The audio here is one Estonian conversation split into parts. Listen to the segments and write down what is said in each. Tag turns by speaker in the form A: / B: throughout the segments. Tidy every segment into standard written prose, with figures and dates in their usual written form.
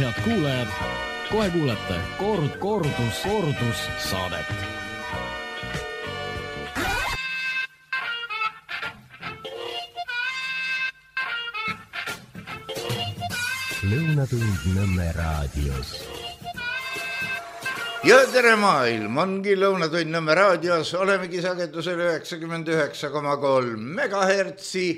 A: Head kuulajad, kohe kuulete kordus saadet.
B: Lõunatund Nõmme raadios.
C: Ja tere maailm, ongi Lõunatund Nõmme raadios, olemegi sagedusel 99,3 megahertsi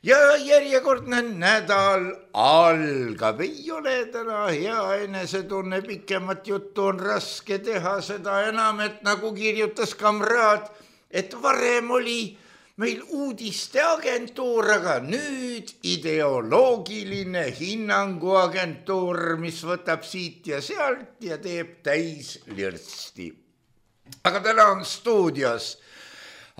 C: ja järjekordne nädal algab. Ei ole täna hea enesetunne, pikemat juttu on raske teha, seda enam, et nagu kirjutas kamraad, et varem oli meil uudisteagentuur, aga nüüd ideoloogiline hinnanguagentuur, mis võtab siit ja sealt ja teeb täis lirsti. Aga täna on stuudios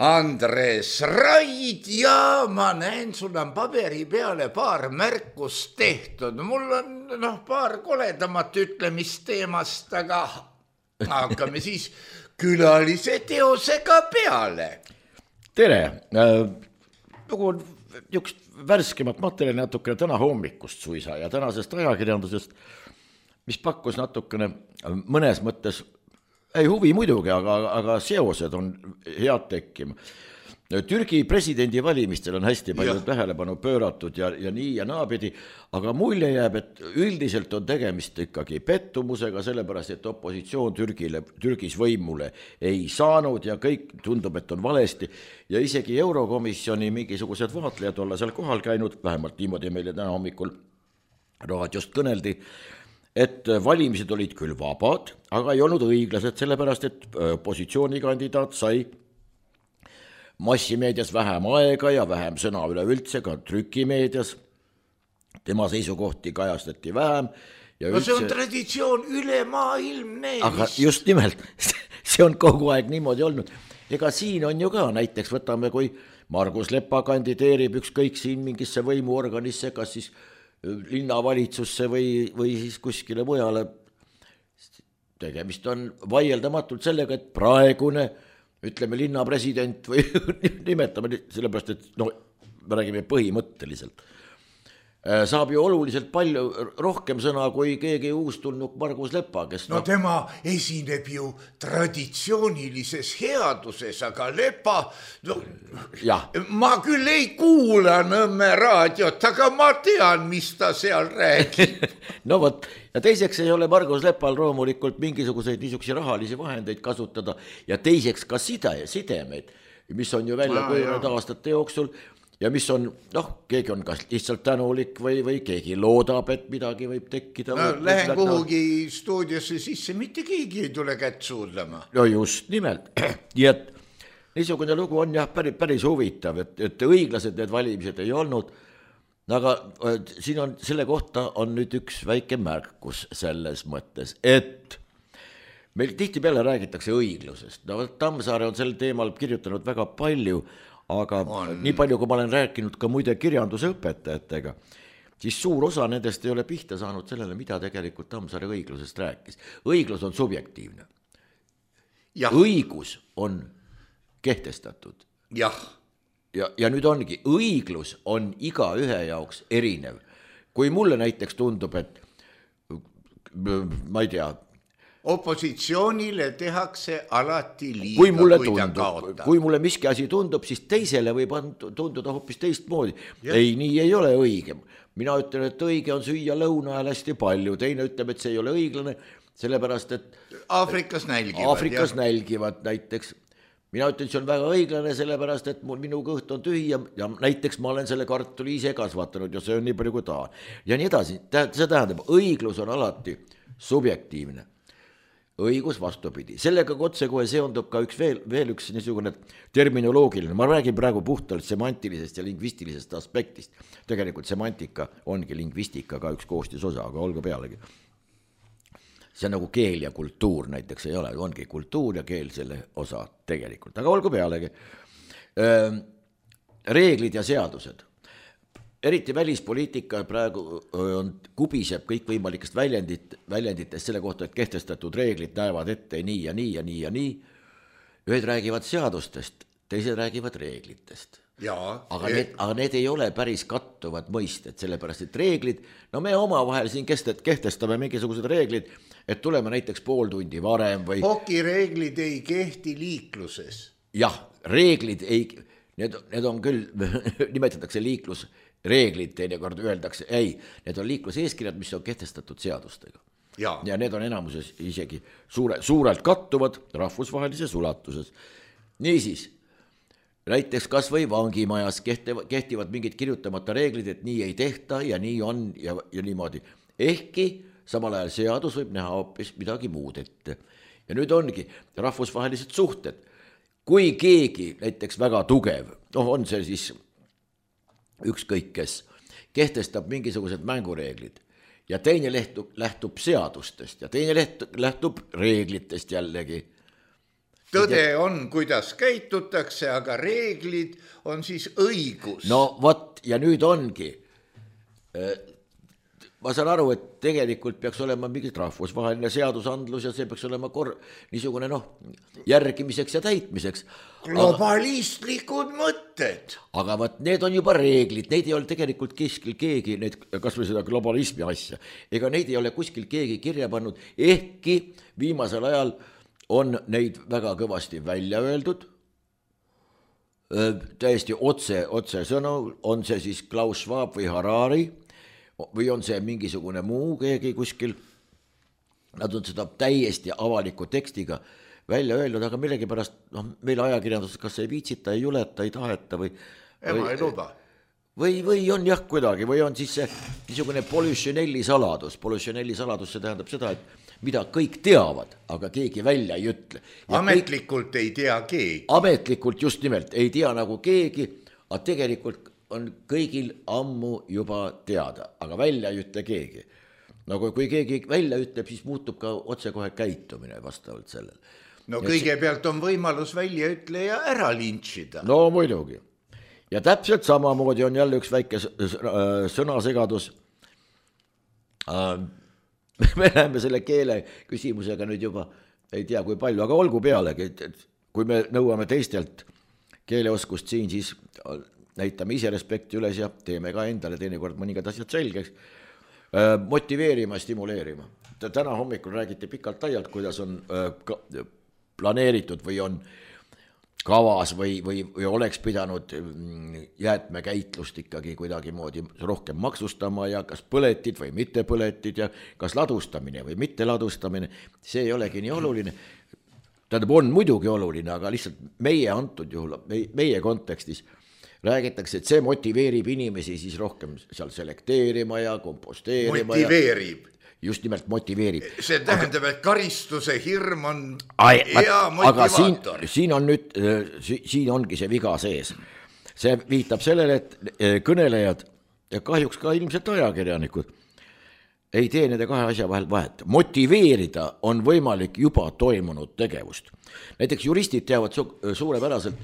C: Andres Raid ja ma näen, sul on paberi peale paar märkust tehtud. Mul on paar koledamat ütlemist teemast, aga hakkame siis külalise teosega peale.
D: Tere, nagu on üks värskemat materjali natukene täna hommikust suisa ja tänasest ajakirjandusest, mis pakkus natukene mõnes mõttes, ei huvi muidugi, aga seosed on head tekkima. Türgi presidendi valimistel on hästi palju tähelepanu pööratud ja nii ja naapidi, aga mulje jääb, et üldiselt on tegemist ikkagi pettumusega, sellepärast, et opositsioon Türgis võimule ei saanud ja kõik tundub, et on valesti. Ja isegi Eurokomisjoni mingisugused vaatlejad olla seal kohal käinud, vähemalt niimoodi meile täna hommikul raadiost kõneldi, et valimised olid küll vabad, aga ei olnud õiglased, sellepärast, et opositsioonikandidaat sai massimeedias vähem aega ja vähem sõna üleüldse, ka trükimeedias. Tema seisukohti kajastati vähem. Ja
C: see on traditsioon ülemaailmne.
D: Aga just nimelt, see on kogu aeg niimoodi olnud. Ega siin on ju ka, näiteks võtame, kui Margus Lepa kandideerib ükskõik siin mingisse võimuorganisse, kas siis linnavalitsusse või siis kuskile mujale. Tegemist on vaieldamatult sellega, et praegune ütleme linnapresident või nimetame sellepärast, et me räägime põhimõtteliselt. Saab ju oluliselt palju rohkem sõna kui keegi uustulnuk Margus Lepa, kes
C: tema esineb ju traditsioonilises headuses, aga Lepa, ma küll ei kuula Nõmme raadiot, aga ma tean, mis ta seal räägib.
D: No võt, ja teiseks ei ole Margus Lepal loomulikult mingisuguseid niisuguseid rahalisi vahendeid kasutada ja teiseks ka sidemeid, mis on ju välja kujunenud aastate jooksul. Ja mis on, keegi on kas lihtsalt tänulik või keegi loodab, et midagi võib tekkida.
C: Lähen kuhugi stuudiosse sisse, mitte keegi ei tule kätt suudlema.
D: No just nimelt. Nii et niisugune lugu on päris huvitav, et õiglased need valimised ei olnud, aga siin on, selle kohta on nüüd üks väike märkus selles mõttes, et meil tihti peale räägitakse õiglusest. Tammsaare on sel teemal kirjutanud väga palju, aga nii palju, kui ma olen rääkinud ka muide kirjanduse õpetajatega, siis suur osa nendest ei ole pihta saanud sellele, mida tegelikult Tammsaare õiglusest rääkis. Õiglus on subjektiivne. Õigus on kehtestatud. Ja nüüd ongi, õiglus on iga ühe jaoks erinev. Kui mulle näiteks tundub, et ma ei tea,
C: opositsioonile tehakse alati liiga, kui ta kaotab.
D: Kui mulle miski asi tundub, siis teisele võib tunduda hoopis teistmoodi. Ei, nii ei ole õige. Mina ütlen, et õige on süüa lõuna ajal hästi palju. Teine ütleb, et see ei ole õiglane, sellepärast, et
C: Aafrikas
D: nälgivad näiteks. Mina ütlen, see on väga õiglane, sellepärast, et minu kõht on tühi ja näiteks ma olen selle kartuli ise kasvatanud ja see on nii palju kui tahan. Ja nii edasi. See tähendab, õiglus on alati subjektiivne. Õigus vastupidi. Sellega otsekohe seondub ka veel üks niisugune terminoloogiline. Ma räägin praegu puhtalt semantilisest ja lingvistilisest aspektist. Tegelikult semantika ongi lingvistika ka üks koostisosa, aga olgu pealegi. See on nagu keel ja kultuur näiteks ei ole, ongi kultuur ja keel selle osa tegelikult, aga olgu pealegi. Reeglid ja seadused. Eriti välispoliitika praegu kubiseb kõikvõimalikest väljenditest selle kohta, et kehtestatud reeglid näevad ette nii ja nii ja nii ja nii. Ühed räägivad seadustest, teised räägivad reeglitest. aga need ei ole päris kattuvad mõisted, sellepärast et reeglid, no me omavahel siin kehtestame mingisugused reeglid, et tuleme näiteks pool tundi varem või...
C: Hokireeglid ei kehti liikluses.
D: Jah, reeglid ei, need on küll, nimetatakse liiklusreeglid, teinekord öeldakse, ei, need on liikluseeskirjad, mis on kehtestatud seadustega. Ja need on enamuses isegi suurelt kattuvad rahvusvahelises ulatuses. Niisiis, näiteks kas või vangimajas kehtivad mingid kirjutamata reeglid, et nii ei tehta ja nii on ja niimoodi. Ehkki samal ajal seadus võib näha hoopis midagi muud ette. Ja nüüd ongi rahvusvahelised suhted. Kui keegi näiteks väga tugev, on see siis ükskõik kes, kehtestab mingisugused mängureeglid ja teine lähtub seadustest ja teine lähtub reeglitest jällegi.
C: Tõde on, kuidas käitutakse, aga reeglid on siis õigus.
D: No vot, ja nüüd ongi. Ma saan aru, et tegelikult peaks olema mingit rahvusvaheline seadusandlus ja see peaks olema niisugune järgimiseks ja täitmiseks.
C: Globalistlikud mõtted.
D: Aga võt, need on juba reeglid, neid ei ole tegelikult kuskil keegi, kas või seda globalismi asja, ega neid ei ole kuskil keegi kirja pannud, ehkki viimasel ajal on neid väga kõvasti välja öeldud, täiesti otse sõnu, on see siis Klaus Schwab või Harari, või on see mingisugune muu keegi kuskil, nad on seda täiesti avaliku tekstiga välja öelnud, aga millegipärast meil ajakirjanduses kas ei viitsita, ei juleta, ei taheta või
C: ei luba.
D: Või on jah kuidagi, või on siis see niisugune Polichinelli saladus. Polichinelli saladus, see tähendab seda, et mida kõik teavad, aga keegi välja ei ütle.
C: Ametlikult ei tea keegi.
D: Ametlikult just nimelt ei tea nagu keegi, aga tegelikult on kõigil ammu juba teada, aga välja ei ütle keegi. Nagu kui keegi välja ütleb, siis muutub ka otsekohe käitumine vastavalt sellel.
C: No kõigepealt on võimalus väljaütleja ära lintšida.
D: No muidugi. Ja täpselt samamoodi on jälle üks väike sõnasegadus. Me läheme selle keele küsimusega nüüd juba, ei tea kui palju, aga olgu pealegi, et kui me nõuame teistelt keeleoskust siin, siis näitame ise respekti üles ja teeme ka endale teinekord mõningad asjad selgeks. Motiveerima, stimuleerima. Täna hommikul räägiti pikalt laialt, kuidas on planeeritud või on kavas või oleks pidanud jäätmekäitlust ikkagi kuidagi moodi rohkem maksustama ja kas põletid või mitte põletid ja kas ladustamine või mitte ladustamine, see ei olegi nii oluline. Tähendab, on muidugi oluline, aga lihtsalt meie antud juhul, meie kontekstis räägitakse, et see motiveerib inimesi siis rohkem seal selekteerima ja komposteerima.
C: Motiveerib.
D: Just nimelt motiveerib.
C: See tähendab, et karistuse hirm on hea motivaator.
D: Aga siin on nüüd, siin ongi see viga sees. See viitab sellele, et kõnelejad ja kahjuks ka ilmselt ajakirjanikud ei tee nende kahe asja vahel vahet. Motiveerida on võimalik juba toimunud tegevust. Näiteks juristid teavad suurepäraselt,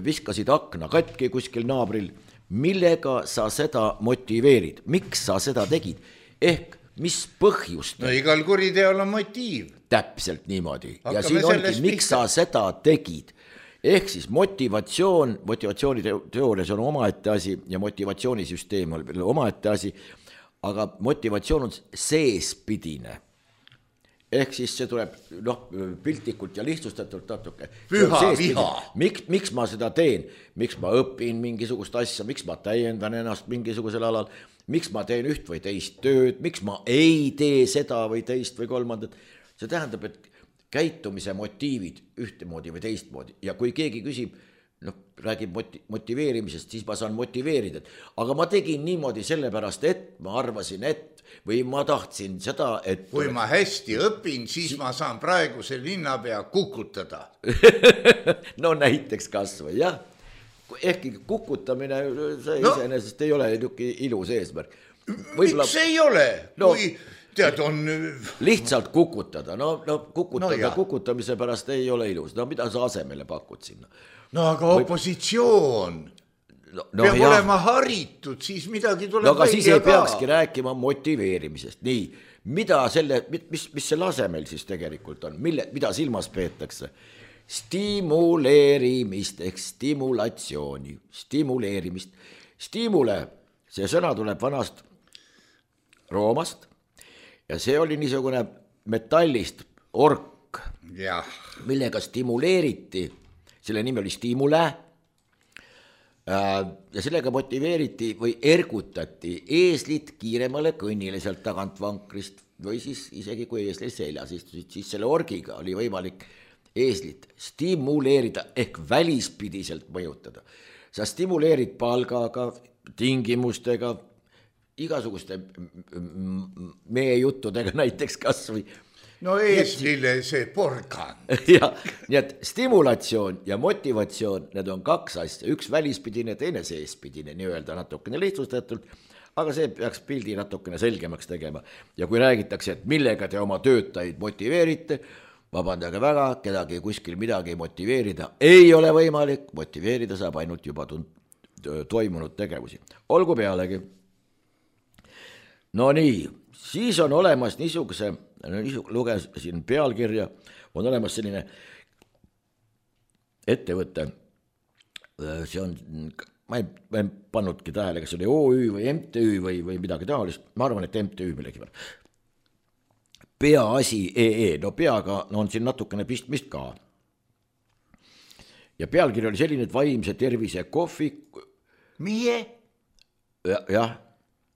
D: viskasid akna katki kuskil naabril, millega sa seda motiveerid, miks sa seda tegid, ehk mis põhjust.
C: No igal kuriteol on motiiv.
D: Täpselt niimoodi. Ja siin ongi, miks sa seda tegid. Ehk siis motivatsiooniteoorias on omaette asi ja motivatsioonisüsteem on omaette asi, aga motivatsioon on seespidine. Ehk siis see tuleb piltlikult ja lihtsustatult natuke.
C: Püha viha.
D: Miks ma seda teen? Miks ma õpin mingisugust asja? Miks ma täiendan ennast mingisugusel alal? Miks ma teen üht või teist tööd? Miks ma ei tee seda või teist või kolmandat? See tähendab, et käitumise motiivid ühtemoodi või teistmoodi. Ja kui keegi küsib, räägib motiveerimisest, siis ma saan motiveerida. Aga ma tegin niimoodi sellepärast, et ma arvasin, et või ma tahtsin seda, et...
C: Kui ma hästi õpin, siis ma saan praeguse linnapea kukutada.
D: No näiteks kas või, jah. Ehkki kukutamine, see iseenesest ei ole ilus eesmärk.
C: Miks ei ole? Kui tead, on...
D: Lihtsalt kukutada, kukutamise pärast ei ole ilus. No mida sa asemele pakud sinna?
C: No aga opositsioon... peab olema haritud, siis midagi tuleb
D: aga siis ei peakski rääkima motiveerimisest. Nii, mis selle asemel siis tegelikult on, mida silmas peetakse? stimuleerimist ehk stimulatsiooni, stimuleerimist. Stimule, see sõna tuleb vanast Roomast ja see oli niisugune metallist ork, millega stimuleeriti, selle nimi oli stimule ja sellega motiveeriti või ergutati eeslit kiiremale kõnnile sealt tagant vankrist või siis isegi kui eesli seljas istusid, siis selle orgiga oli võimalik eeslit stimuleerida ehk välispidiselt mõjutada. Sa stimuleerid palgaga, tingimustega, igasuguste meie juttudega näiteks kas või.
C: No eeslile see porgan.
D: Ja, nii et stimulatsioon ja motivatsioon, need on kaks asja, üks välispidine, teine seespidine, nii öelda natukene lihtsustatult, aga see peaks pildi natukene selgemaks tegema. Ja kui räägitakse, et millega te oma töötajaid motiveerite, vabandage väga, kedagi kuskil midagi motiveerida ei ole võimalik, motiveerida saab ainult juba toimunud tegevusi. Olgu pealegi. No nii, siis on olemas niisuguse, lugesin pealkirja, on olemas selline ettevõte, see on, ma ei pannudki tähele, kas oli OÜ või MTÜ või midagi taolist, ma arvan, et MTÜ millegi peal. Peaasi EE, no peaga on siin natukene pistmist ka. Ja pealkiri oli selline, et vaimse tervise kohvik.
C: Mie?
D: Jah.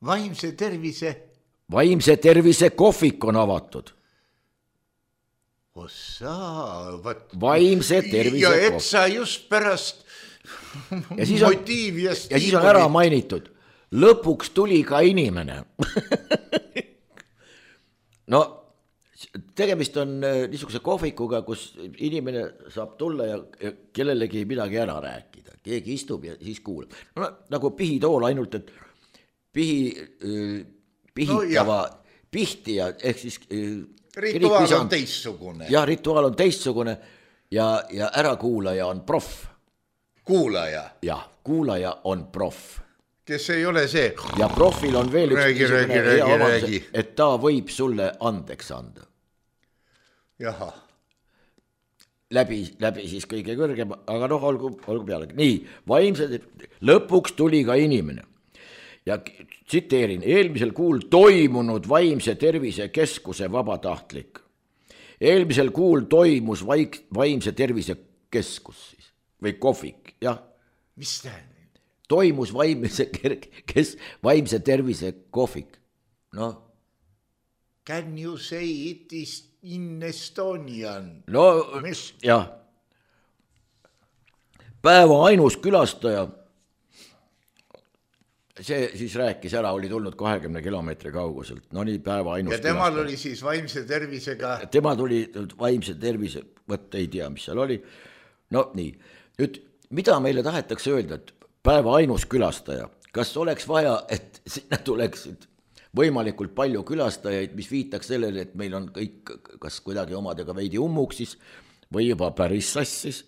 C: Vaimse tervise?
D: Vaimse tervise kohvik on avatud.
C: Ossa,
D: vaimse tervise kohvik.
C: Ja et sa just pärast motiivi ja
D: siis on ära mainitud. Lõpuks tuli ka inimene. No, tegemist on niisuguse kohvikuga, kus inimene saab tulla ja kellelegi midagi ära rääkida. Keegi istub ja siis kuulab. No, nagu pihitool ainult, et pihitava pihtija, ehk siis
C: rituaal on teistsugune.
D: Ja rituaal on teistsugune ja ärakuulaja on proff.
C: Kuulaja?
D: Ja, kuulaja on proff.
C: Kes ei ole see?
D: Ja profil on veel üks
C: räägi.
D: Et ta võib sulle andeks anda.
C: Jaha.
D: Läbi siis kõige kõrgem, aga noh, olgu pealegi. Nii, lõpuks tuli ka inimene. Ja tsiteerin, eelmisel kuul toimunud vaimse tervise keskuse vabatahtlik. Eelmisel kuul toimus vaimse tervise keskus siis, või kohvik, jah.
C: Mis tähendab?
D: Toimus vaimse tervise kohvik. No.
C: Can you say it is in Estonian?
D: No, jah. Päeva ainus külastaja, see siis rääkis ära, oli tulnud 20 kilomeetri kauguselt. No nii, päeva ainus külastaja. Ja
C: temal oli siis vaimse tervisega?
D: Tema tuli vaimse tervise, võt ei tea, mis seal oli. No nii, nüüd, mida meile tahetakse öelda, et päeva ainus külastaja, kas oleks vaja, et sinna tuleksid võimalikult palju külastajaid, mis viitaks sellele, et meil on kõik kas kuidagi omadega veidi ummuksis või juba päris sassis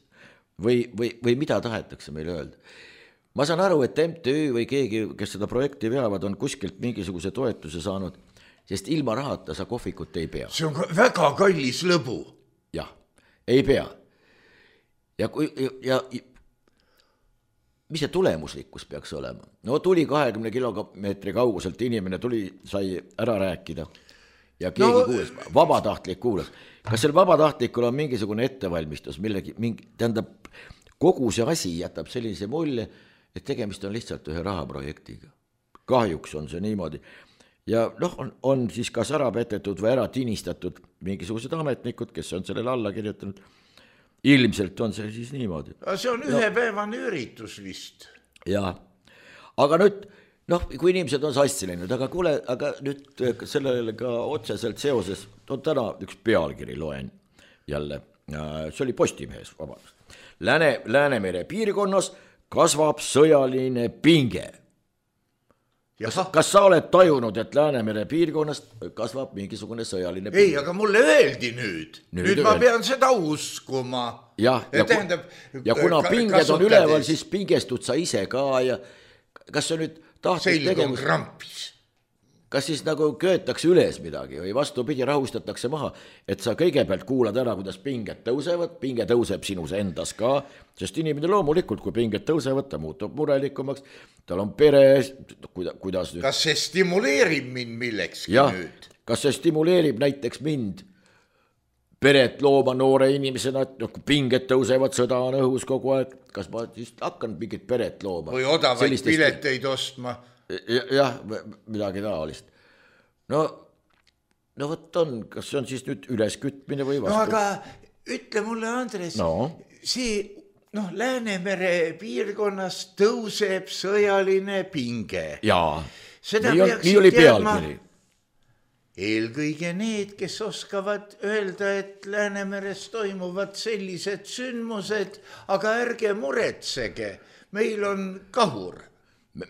D: või mida tahetakse meile öelda. Ma saan aru, et MTÜ või keegi, kes seda projekti veavad, on kuskilt mingisuguse toetuse saanud, sest ilma rahata sa kohvikut ei pea.
C: See on väga kallis lõbu.
D: Jah, ei pea. Ja mis see tulemuslikkus peaks olema? No tuli 20 kilomeetri kauguselt inimene, sai ära rääkida ja keegi kuulas, vabatahtlik kuulas. Kas seal vabatahtlikul on mingisugune ettevalmistus, tähendab, kogu see asi jätab sellise mulje, et tegemist on lihtsalt ühe rahaprojektiga. Kahjuks on see niimoodi. Ja noh, on siis kas ära petetud või ära tinistatud mingisugused ametnikud, kes on sellele alla kirjutanud. Ilmselt on see siis niimoodi.
C: See on ühepäevane üritus vist.
D: Jaa, aga nüüd, noh, kui inimesed on sassi läinud, aga kuule, aga nüüd sellele ka otseselt seoses, on täna üks pealkiri loen jälle, see oli Postimehes, vabandust. Läänemere piirkonnas kasvab sõjaline pinge. Kas sa oled tajunud, et Läänemere piirkonnast kasvab mingisugune sõjaline pinge?
C: Ei, aga mulle öeldi nüüd. Nüüd ma pean seda uskuma.
D: Ja kuna pinged on üleval, siis pingestud sa ise ka ja kas sa nüüd tahtnud
C: selg on krampis.
D: kas siis nagu köetakse üles midagi või vastupidi rahustatakse maha, et sa kõigepealt kuulad ära, kuidas pinged tõusevad, pinge tõuseb sinus endas ka, sest inimene loomulikult, kui pinged tõusevad, ta muutub murelikumaks, tal on pere, kuidas nüüd.
C: Kas see stimuleerib mind millekski nüüd?
D: Kas see stimuleerib näiteks mind peret looma noore inimesena, et kui pinged tõusevad, sõda on õhus kogu aeg, kas ma siis hakkan mingit peret looma?
C: Või odavaid pileteid ostma?
D: Jah, midagi taolist. No võt on, kas see on siis nüüd üleskütmine või vastu?
C: No aga ütle mulle, Andres, see Läänemere piirkonnas tõuseb sõjaline pinge.
D: Jaa,
C: seda
D: nii oli pealkiri.
C: Eelkõige need, kes oskavad öelda, et Läänemeres toimuvad sellised sündmused, aga ärge muretsege, meil on kahur.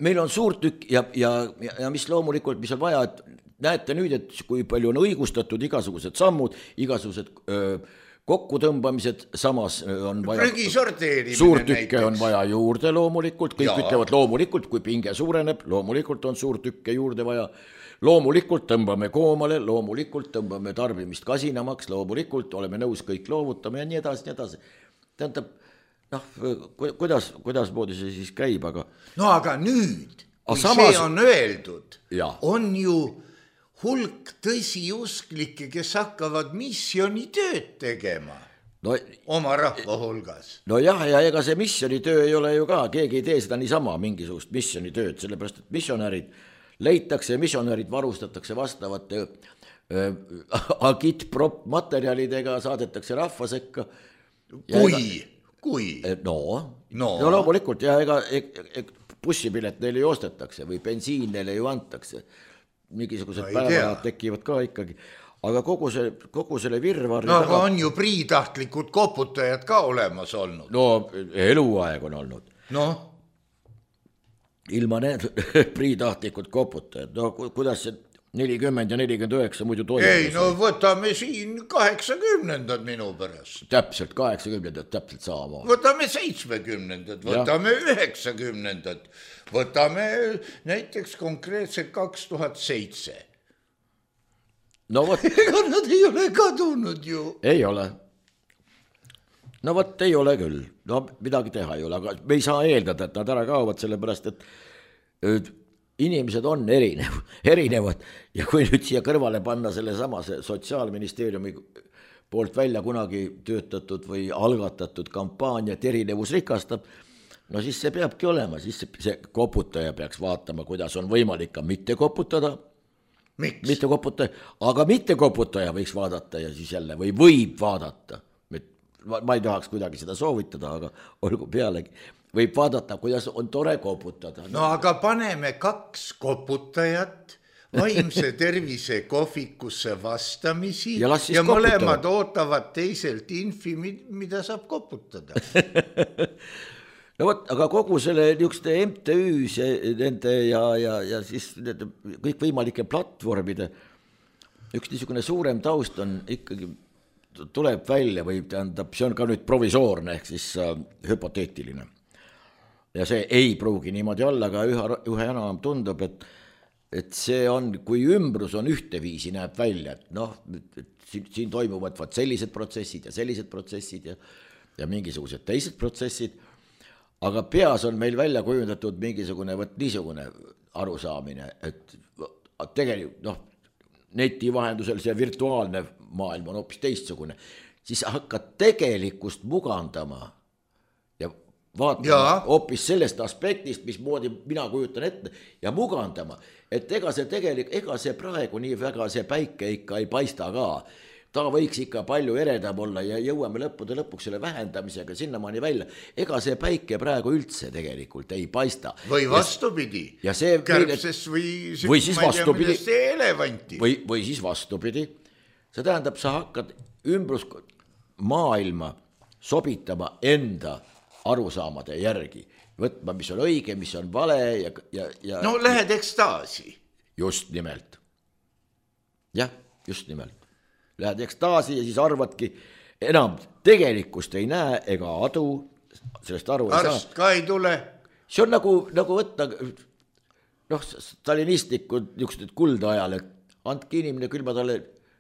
D: Meil on suurtükk ja mis loomulikult, mis on vaja, et näete nüüd, et kui palju on õigustatud igasugused sammud, igasugused kokkutõmbamised, samas on vaja suurtükke on vaja juurde loomulikult, kõik ütlevad loomulikult, kui pinge suureneb, loomulikult on suurtükke juurde vaja, loomulikult tõmbame koomale, loomulikult tõmbame tarbimist kasinamaks, loomulikult oleme nõus kõik loovutama ja nii edasi, nii edasi. Tähendab, kuidas moodi see siis käib, aga... No aga nüüd, kui see on öeldud, on ju hulk tõsiusklikke, kes hakkavad missionitööd tegema oma rahva hulgas. No jah, ja ega see missionitöö ei ole ju ka, keegi ei tee seda niisama mingisugust missionitööd, sellepärast, et missionärid leitakse ja missionärid varustatakse vastavate agitprop materjalidega, saadetakse rahva sekka.
C: Kui?
D: No loomulikult, ja ega bussipilet neile ju ostetakse või bensiin neile ju antakse. Mingisugused päevad tekivad ka ikkagi. Aga kogu selle virvarri...
C: No aga on ju priitahtlikud koputajad ka olemas olnud.
D: No eluaeg on olnud. Ilma need priitahtlikud koputajad. No kuidas see 40 ja 49 muidu toimub?
C: Ei, no võtame siin 80-ndad minu pärast.
D: Täpselt 80-ndad, täpselt sama.
C: Võtame 70-ndad, võtame 90-ndad, võtame näiteks konkreetselt 2007.
D: No võt...
C: Ega nad ei ole kadunud ju.
D: Ei ole. No võt ei ole küll. No midagi teha ei ole, aga me ei saa eeldada, et nad ära kaovad, sellepärast, et inimesed on erinevad ja kui nüüd siia kõrvale panna selle samase Sotsiaalministeeriumi poolt välja kunagi töötatud või algatatud kampaania, et erinevus rikastab, no siis see peabki olema, siis see koputaja peaks vaatama, kuidas on võimalik ka mitte koputada.
C: Miks?
D: Mitte koputaja, aga mitte koputaja võiks vaadata ja siis jälle või võib vaadata. Ma ei tahaks kuidagi seda soovitada, aga olgu pealegi. Võib vaadata, kuidas on tore koputada.
C: No aga paneme 2 koputajat vaimse tervise kohvikusse vastamisi ja mõlemad ootavad teiselt infi, mida saab koputada.
D: No võt, aga kogu selle niisuguste MTÜs nende ja siis kõik võimalike platvormide üks niisugune suurem taust on ikkagi tuleb välja või tähendab, see on ka nüüd provisoorne ehk siis hüpoteetiline. Ja see ei pruugi niimoodi olla, aga ühe enam tundub, et see on, kui ümbrus on ühteviisi näeb välja, et siin toimuvad sellised protsessid ja mingisugused teised protsessid, aga peas on meil välja kujundatud mingisugune niisugune arusaamine, et tegelikult neti vahendusel see virtuaalne maailm on hoopis teistsugune, siis hakkad tegelikkust mugandama ja vaatama hoopis sellest aspektist, mismoodi mina kujutan ette ja mugandama, et ega see praegu nii väga see päike ikka ei paista ka. Ta võiks ikka palju eredam olla ja jõuame lõpuks selle vähendamisega sinnamaani välja. Ega see päike praegu üldse tegelikult ei paista.
C: Või vastupidi, kärbses või
D: siis vastupidi,
C: elevanti.
D: Või siis vastupidi. See tähendab, sa hakkad ümbrus maailma sobitama enda arusaamade järgi. Võtma, mis on õige, mis on vale ja...
C: No lähed ekstaasi.
D: Just nimelt. Jah, just nimelt. Lähed ekstaasi ja siis arvadki, enam tegelikkust ei näe ega adu, sellest aru ei saa.
C: Arst ka ei tule.
D: See on nagu võtta noh, stalinistlikud niisugused kuldajal, et andke inimene, küll ma talle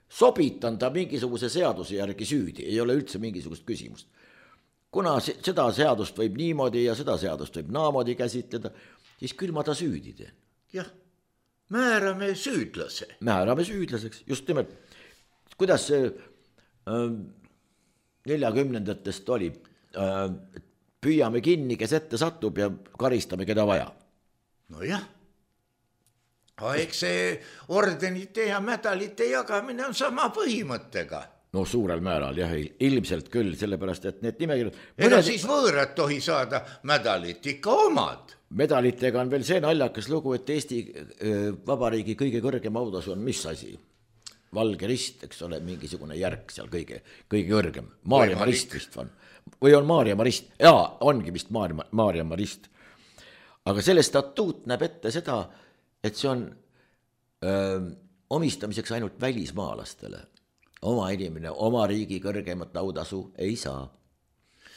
D: sobitan ta mingisuguse seaduse järgi süüdi, ei ole üldse mingisugust küsimust. Kuna seda seadust võib niimoodi ja seda seadust võib naamoodi käsitleda, siis küll ma ta süüdi teen.
C: Jah, määrame süüdlase.
D: Määrame süüdlaseks, just nimelt. Kuidas see 40-ndatest oli? Püüame kinni, kes ette satub ja karistame, keda vaja.
C: No jah. Eks see ordenite ja medalite jagamine on sama põhimõttega.
D: No suurel määral, jah, ilmselt küll, sellepärast, et need nimekirjad...
C: Ega siis võõrad tohi saada medalit, ikka omad.
D: Medalitega on veel see naljakas lugu, et Eesti Vabariigi kõige kõrgem audasu on mis asi? Valge rist, eks ole, mingisugune järk seal kõige kõrgem. Maarja Marist vist on. Või on Maarja Marist? Jaa, ongi vist Maarja Marist. Aga selle statuut näeb ette seda, et see on omistamiseks ainult välismaalastele. Oma inimene, oma riigi kõrgemat audasu ei saa.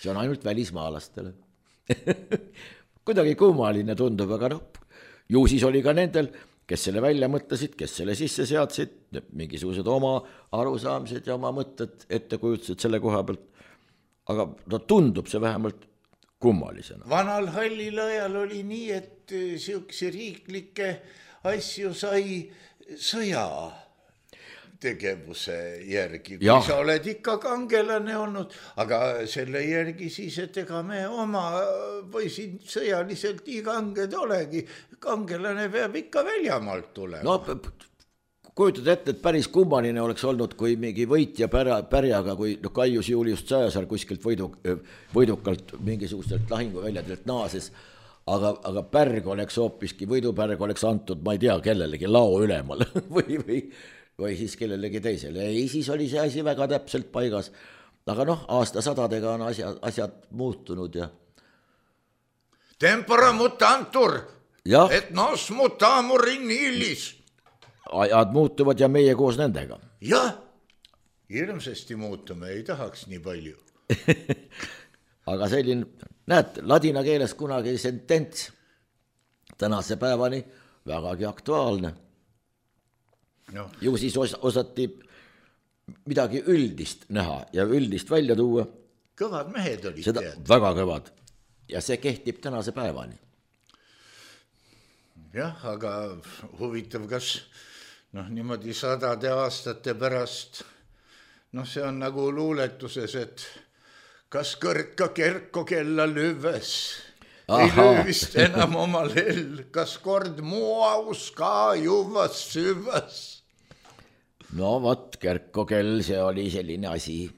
D: See on ainult välismaalastele. Kuidagi kummaline tundub, aga noh, ju siis oli ka nendel, kes selle välja mõtlesid, kes selle sisse seadsid, mingisugused oma arusaamised ja oma mõtted ette kujutasid selle koha pealt. Aga no tundub see vähemalt kummalisena.
C: Vanal hallil ajal oli nii, et siukse riiklikke asju sai sõja tegevuse järgi, kui sa oled ikka kangelane olnud, aga selle järgi siis, et ega me oma või siin sõjaliselt nii kanged olegi, kangelane peab ikka väljamaalt tulema.
D: No kujutad ette, et päris kummaline oleks olnud, kui mingi võitja pärjaga, kui Kaius Julius Caesar kuskilt võidukalt mingisugustelt lahinguväljadelt naases, aga pärg oleks hoopiski, võidupärg oleks antud, ma ei tea, kellelegi lao ülemal või siis kellelegi teisele. Ei, siis oli see asi väga täpselt paigas. Aga noh, aastasadadega on asjad muutunud ja...
C: Tempora mutantur, et nos mutamur in illis.
D: Ajad muutuvad ja meie koos nendega.
C: Jah, hirmsasti muutume, ei tahaks nii palju.
D: Aga selline, näed, ladina keeles kunagi sentents tänase päevani vägagi aktuaalne. No. Ju siis osati midagi üldist näha ja üldist välja tuua.
C: Kõvad mehed olid
D: seda, tead. Väga kõvad. Ja see kehtib tänase päevani.
C: Jah, aga huvitav, kas niimoodi 100 aastate pärast, see on nagu luuletuses, et kas kõrka kerko kella lüves, ei lüüvist enam oma lell, kas kord muaus ka juvas süvas.
D: No vot, kerko kell, see oli selline asi,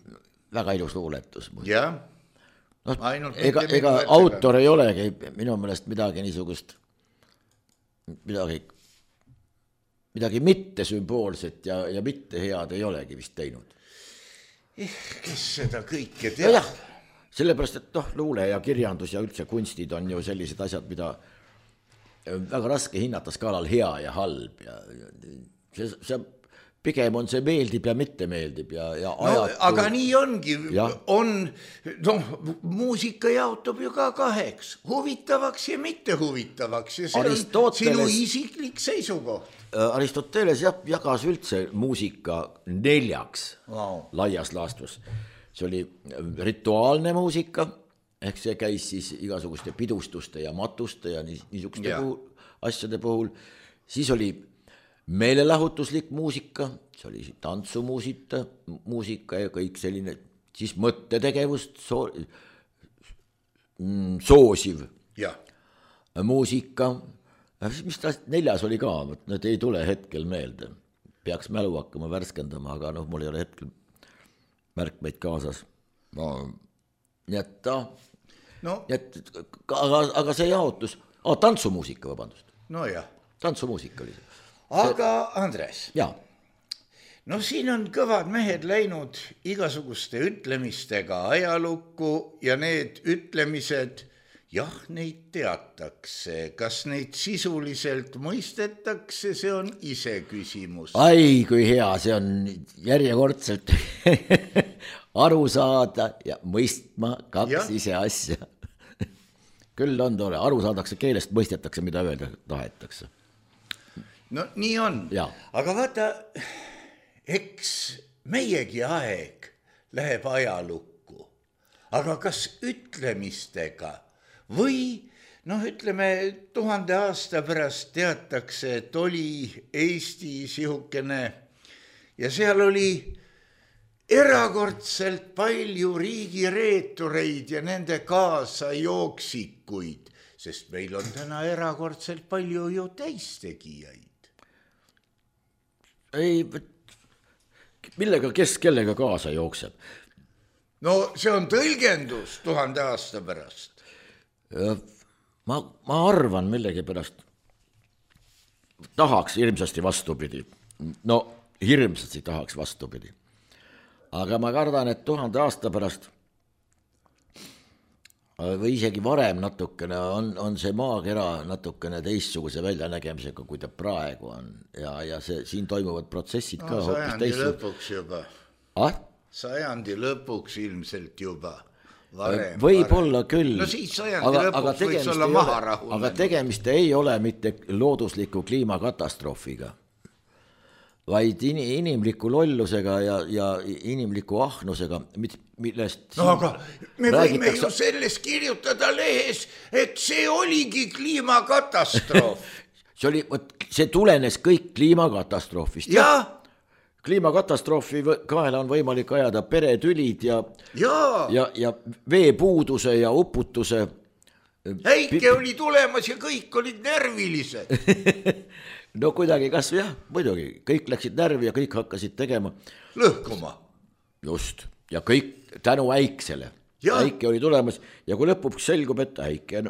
D: väga ilus luuletus.
C: Jah.
D: Ega autor ei olegi minu meelest midagi niisugust, midagi mitte sümboolset ja mitte head ei olegi vist teinud.
C: Kes seda kõike teab?
D: Ja, sellepärast, et luule ja kirjandus ja üldse kunstid on ju sellised asjad, mida väga raske hinnata skaalal hea ja halb. Ja see pigem on see meeldib ja mitte meeldib ja ajatu.
C: Aga nii ongi, muusika jaotub ju ka kaheks, huvitavaks ja mitte huvitavaks ja see on sinu isiklik seisukoht.
D: Aristoteles jagas üldse muusika 4 laias laastus. See oli rituaalne muusika, ehk see käis siis igasuguste pidustuste ja matuste ja niisuguste asjade puhul. Siis oli meelelahutuslik muusika, see oli tantsumuusika ja kõik selline, siis mõttetegevust soosiv muusika. Mis ta 4 oli ka, need ei tule hetkel meelde. Peaks mälu hakkama värskendama, aga mul ei ole hetkel märkmeid kaasas. Nii et aga see jaotus, tantsumuusika, vabandust.
C: No jah.
D: Tantsumuusika oli see.
C: Aga Andres, siin on kõvad mehed läinud igasuguste ütlemistega ajalukku ja need ütlemised, neid teatakse. Kas neid sisuliselt mõistetakse, see on ise küsimus.
D: Ai, kui hea, see on järjekordselt aru saada ja mõistma 2 ise asja. Küll on tore, aru saadakse keelest, mõistetakse, mida öelda tahetakse.
C: no nii on, aga vaata, eks meiegi aeg läheb ajalukku, aga kas ütlemistega või noh, ütleme 1000 aasta pärast teatakse, et oli Eesti sihukene ja seal oli erakordselt palju riigireetureid ja nende kaasajooksikuid, sest meil on täna erakordselt palju ju täistegijaid.
D: Ei, millega, kes kellega kaasa jookseb?
C: No see on tõlgendus 1000 aasta pärast.
D: Ma arvan millegipärast, tahaks hirmsasti vastupidi. No hirmsasti tahaks vastupidi. Aga ma kardan, et 1000 aasta pärast või isegi varem natukene on see maakera natukene teistsuguse väljanägemisega, kui ta praegu on. Ja see, siin toimuvad protsessid ka hoopis
C: teistsugused. Sajandi lõpuks juba. Sajandi lõpuks ilmselt juba. Varem,
D: võib-olla küll.
C: No siis sajandi lõpuks võiks olla maha rahunenud.
D: Aga tegemist ei ole mitte loodusliku kliimakatastroofiga, vaid inimliku lollusega ja inimliku ahnusega, millest
C: no aga me võime ju sellest kirjutada lehes, et see oligi kliimakatastroof.
D: see tulenes kõik kliimakatastroofist.
C: Jah.
D: Kliimakatastroofi kaela on võimalik ajada peretülid ja veepuuduse ja uputuse.
C: Häike oli tulemas ja kõik olid närvilised.
D: No kuidagi kas jah, muidugi, kõik läksid närvi ja kõik hakkasid tegema.
C: Lõhkuma.
D: Just, ja kõik tänu Äiksele. Äike oli tulemas ja kui lõpuks selgub, et Äike,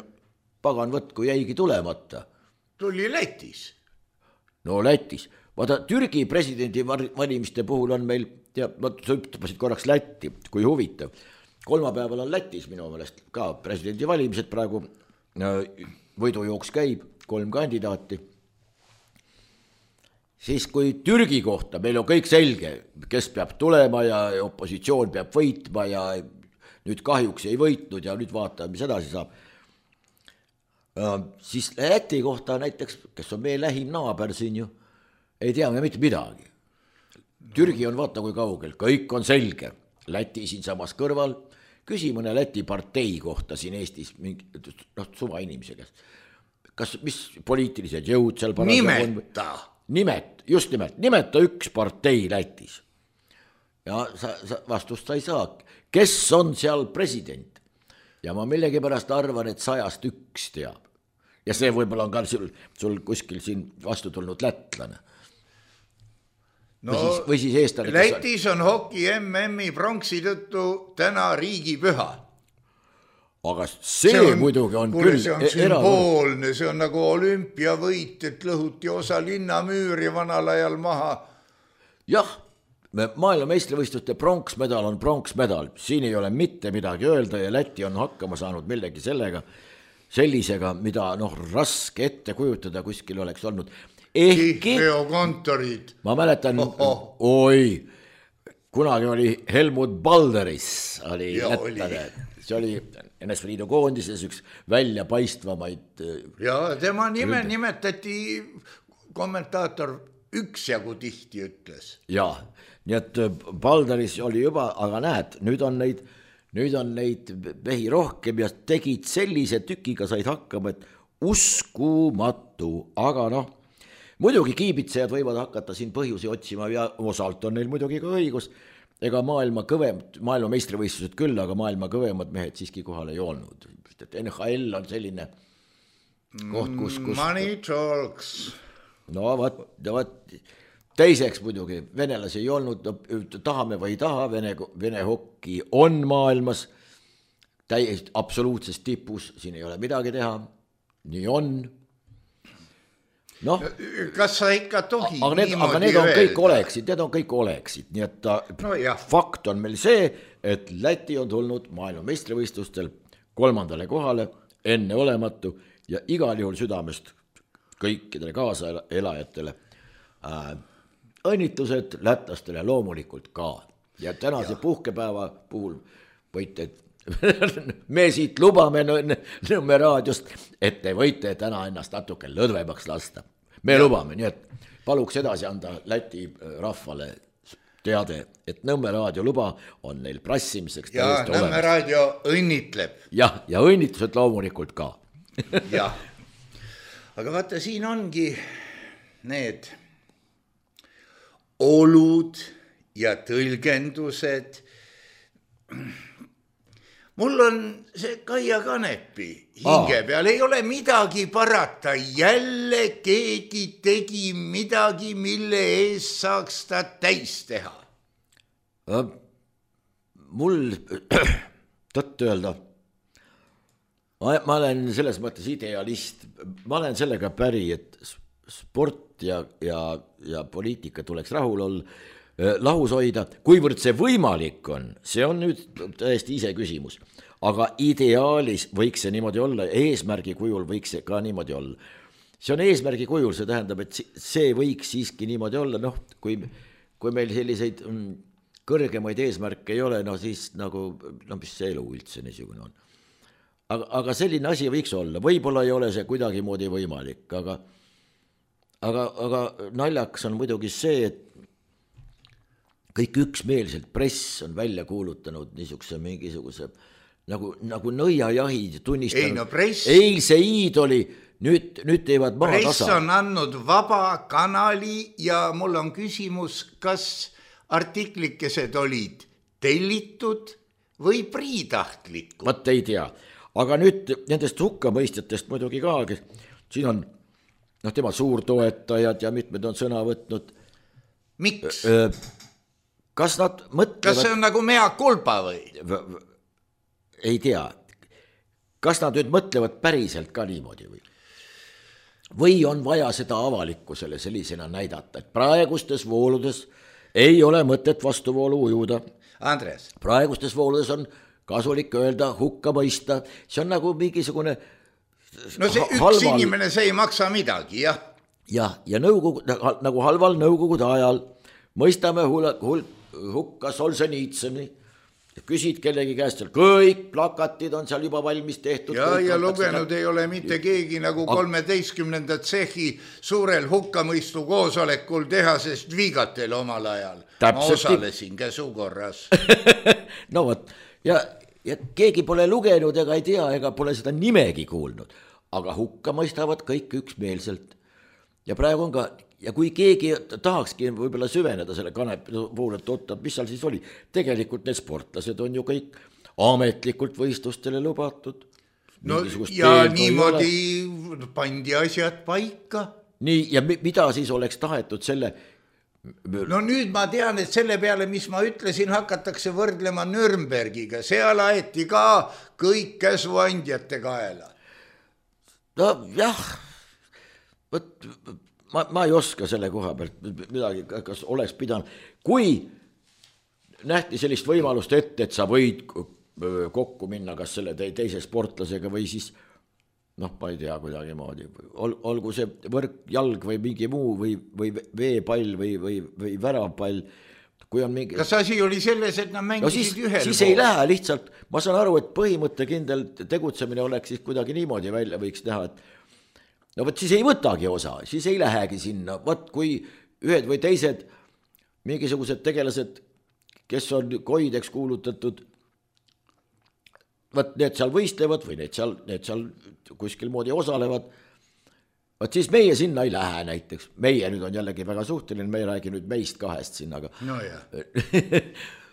D: pagan võtku jäigi tulemata.
C: Tuli Lätis.
D: No Lätis. Vaata, Türgi presidendi valimiste puhul on meil, sa ütlesid korraks Lätti, kui huvitav. Kolmapäeval on Lätis minu meelest ka presidendi valimised praegu, võidujooks käib, 3 kandidaati. Siis kui Türgi kohta meil on kõik selge, kes peab tulema ja opositsioon peab võitma ja nüüd kahjuks ei võitnud ja nüüd vaatame, mis edasi saab. Siis Läti kohta näiteks, kes on meie lähim naaber siin ju, ei tea me mitte midagi. Türgi on vaata kui kaugel, kõik on selge. Läti siin samas kõrval, küsi mõne Läti partei kohta siin Eestis, suva inimese käest. Kas, mis poliitilised jõud seal nimeta üks partei Lätis. Ja vastust sa ei saa. Kes on seal president? Ja ma millegipärast arvan, et 100-st 1 teab. Ja see võib-olla on ka sul kuskil siin vastu tulnud lätlane.
C: No,
D: või siis eestlane.
C: Lätis on hoki MM-i pronksi tõttu täna riigipüha.
D: Aga see muidugi on küll
C: see on sümboolne, see on nagu olümpiavõit, et lõhuti osa linnamüüri vanal ajal maha.
D: Jah, maailma meistrivõistluste pronksmedal on pronksmedal, siin ei ole mitte midagi öelda ja Läti on hakkama saanud millegi sellisega, mida raske ette kujutada kuskil oleks olnud.
C: Kihlveokontorid.
D: Ma mäletan, kunagi oli Helmut Balderis, oli lätlane. See oli NSV Liidu koondises üks välja paistvamaid.
C: Ja tema nime nimetati kommentaator üksjagu tihti ütles.
D: Ja, nii et Balderis oli juba, aga näed, nüüd on neid mehi rohkem ja tegid sellise tükiga said hakkama, et uskumatu, aga muidugi kiibitsejad võivad hakata siin põhjusi otsima ja osalt on neil muidugi ka õigus. Ega maailma meistrivõistlused küll, aga maailma kõvemad mehed siiski kohal ei olnud. Et NHL on selline koht, kus...
C: Money talks.
D: No vaat, teiseks muidugi, venelasi ei olnud, tahame või ei taha, Vene hokki on maailmas täiesti absoluutses tipus, siin ei ole midagi teha, nii on.
C: Kas sa ikka tohi
D: aga need on kõik oleksid, nii et fakt on meil see, et Läti on tulnud maailma meistrivõistlustel 3. kohale, enne olematu ja igal juhul südamest kõikidele kaasaelajatele õnnitlused lätlastele loomulikult ka ja tänase puhkepäeva puhul võite me siit lubame Nõmme raadiost, et te võite täna ennast natuke lõdvemaks lasta. Me lubame, nii et paluks edasi anda Läti rahvale teade, et Nõmme raadio luba on neil prassimiseks
C: ja Nõmme raadio õnnitleb.
D: Jah, ja õnnitlused loomulikult ka.
C: Jah, aga vaata, siin ongi need olud ja tõlgendused. Mul on see Kaia Kanepi hinge peal, ei ole midagi parata, jälle keegi tegi midagi, mille eest saaks ta täis teha.
D: Mul tõtt öelda, ma olen selles mõttes idealist, ma olen sellega päri, et sport ja poliitika tuleks lahus hoida, kuivõrd see võimalik on, see on nüüd täiesti ise küsimus, aga ideaalis võiks see niimoodi olla, eesmärgi kujul võiks see ka niimoodi olla. See on eesmärgi kujul, see tähendab, et see võiks siiski niimoodi olla, kui meil selliseid kõrgemaid eesmärke ei ole, siis nagu, mis see elu üldse niisugune on. Aga selline asi võiks olla, võib-olla ei ole see kuidagimoodi võimalik, aga naljakas on muidugi see, et kõik üksmeelselt press on välja kuulutanud niisuguse mingisuguse nagu nõiajahid tunnistanud eilse iidoli, nüüd teevad maha tasa.
C: Press on andnud vaba kanali ja mul on küsimus, kas artiklikesed olid tellitud või priitahtlikud?
D: Vat ei tea, aga nüüd nendest hukkamõistjatest muidugi ka, siin on tema suurtoetajad ja mitmed on sõna võtnud.
C: Miks?
D: Kas nad mõtlevad...
C: Kas see on nagu mea kulpa või?
D: Ei tea. Kas nad nüüd mõtlevad päriselt ka niimoodi või? Või on vaja seda avalikkusele sellisena näidata, et praegustes vooludes ei ole mõtet vastuvoolu ujuda.
C: Andres.
D: Praegustes vooludes on kasulik öelda, hukka mõista. See on nagu mingisugune...
C: No see üks inimene, see ei maksa midagi, jah.
D: Ja nagu halval nõukogude ajal mõistame hukka Solženitsõni, küsid kellegi käest seal, kõik plakatid on seal juba valmis tehtud.
C: Ja lugenud ei ole mitte keegi nagu 13. tsehhi suurel hukkamõistu koosolekul tehasest Viigatel omal ajal. Ma osalesin käsukorras.
D: No võt, ja keegi pole lugenud ega ei tea, ega pole seda nimegi kuulnud, aga hukka mõistavad kõik üksmeelselt. Ja praegu on ka, ja kui keegi tahakski võib-olla süveneda selle Kanepi puhul, et oota, mis seal siis oli, tegelikult need sportlased on ju kõik ametlikult võistlustele lubatud.
C: No ja niimoodi pandi asjad paika.
D: Nii, ja mida siis oleks tahetud selle...
C: No nüüd ma tean, et selle peale, mis ma ütlesin, hakatakse võrdlema Nürnbergiga. Seal aeti ka kõik käsuandjate kaela.
D: No jah, ma ei oska selle koha pealt midagi, kas oleks pidanud. Kui nähti sellist võimalust ette, et sa võid kokku minna kas selle teise sportlasega või siis, ma ei tea kuidagi moodi, olgu see võrkjalg või mingi muu või veepall või väravpall, kui on mingi...
C: Kas asi oli selles, et nad mängisid ühel
D: pool? Siis ei lähe lihtsalt, ma saan aru, et põhimõttekindel tegutsemine oleks siis kuidagi niimoodi välja võiks teha, et no võt siis ei võtagi osa, siis ei lähegi sinna, võt kui ühed või teised mingisugused tegelased, kes on koideks kuulutatud, võt need seal võistlevad või need seal kuskil moodi osalevad, võt siis meie sinna ei lähe näiteks, meie nüüd on jällegi väga suhteline, me ei räägi nüüd meist kahest sinna, aga...
C: No jah.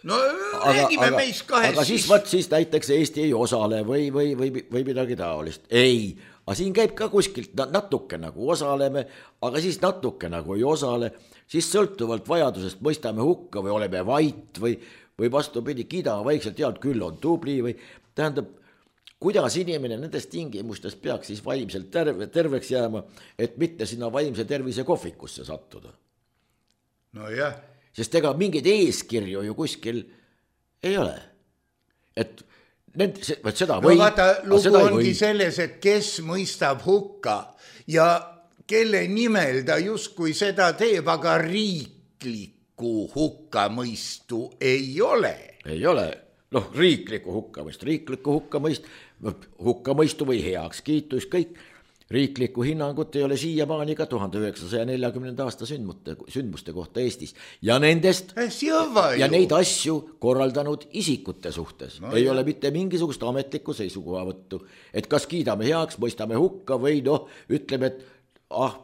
C: No räägime meist kahest.
D: Aga siis näiteks Eesti ei osale või midagi taolist, ei... Aga siin käib ka kuskilt natuke nagu osaleme, aga siis natuke nagu ei osale, siis sõltuvalt vajadusest mõistame hukka või oleme vait või vastupidi, kiidame vaikselt head, küll on tubli või tähendab, kuidas inimene nendest tingimustest peaks siis vaimselt terveks jääma, et mitte sinna vaimse tervise kohvikusse sattuda.
C: No jah.
D: Sest ega mingeid eeskirju ju kuskil ei ole, et seda
C: või... No vaata, lugu ongi selles, et kes mõistab hukka ja kelle nimel ta justkui seda teeb, aga riiklikku hukkamõistu ei ole.
D: Ei ole, riiklikku hukkamõistu või heakskiitu, kõik. riiklikku hinnangut ei ole siiamaani ka 1940. aasta sündmuste kohta Eestis ja nendest ja neid asju korraldanud isikute suhtes ei ole mitte mingisugust ametlikku seisukohavõttu, et kas kiidame heaks, mõistame hukka või ütleme, et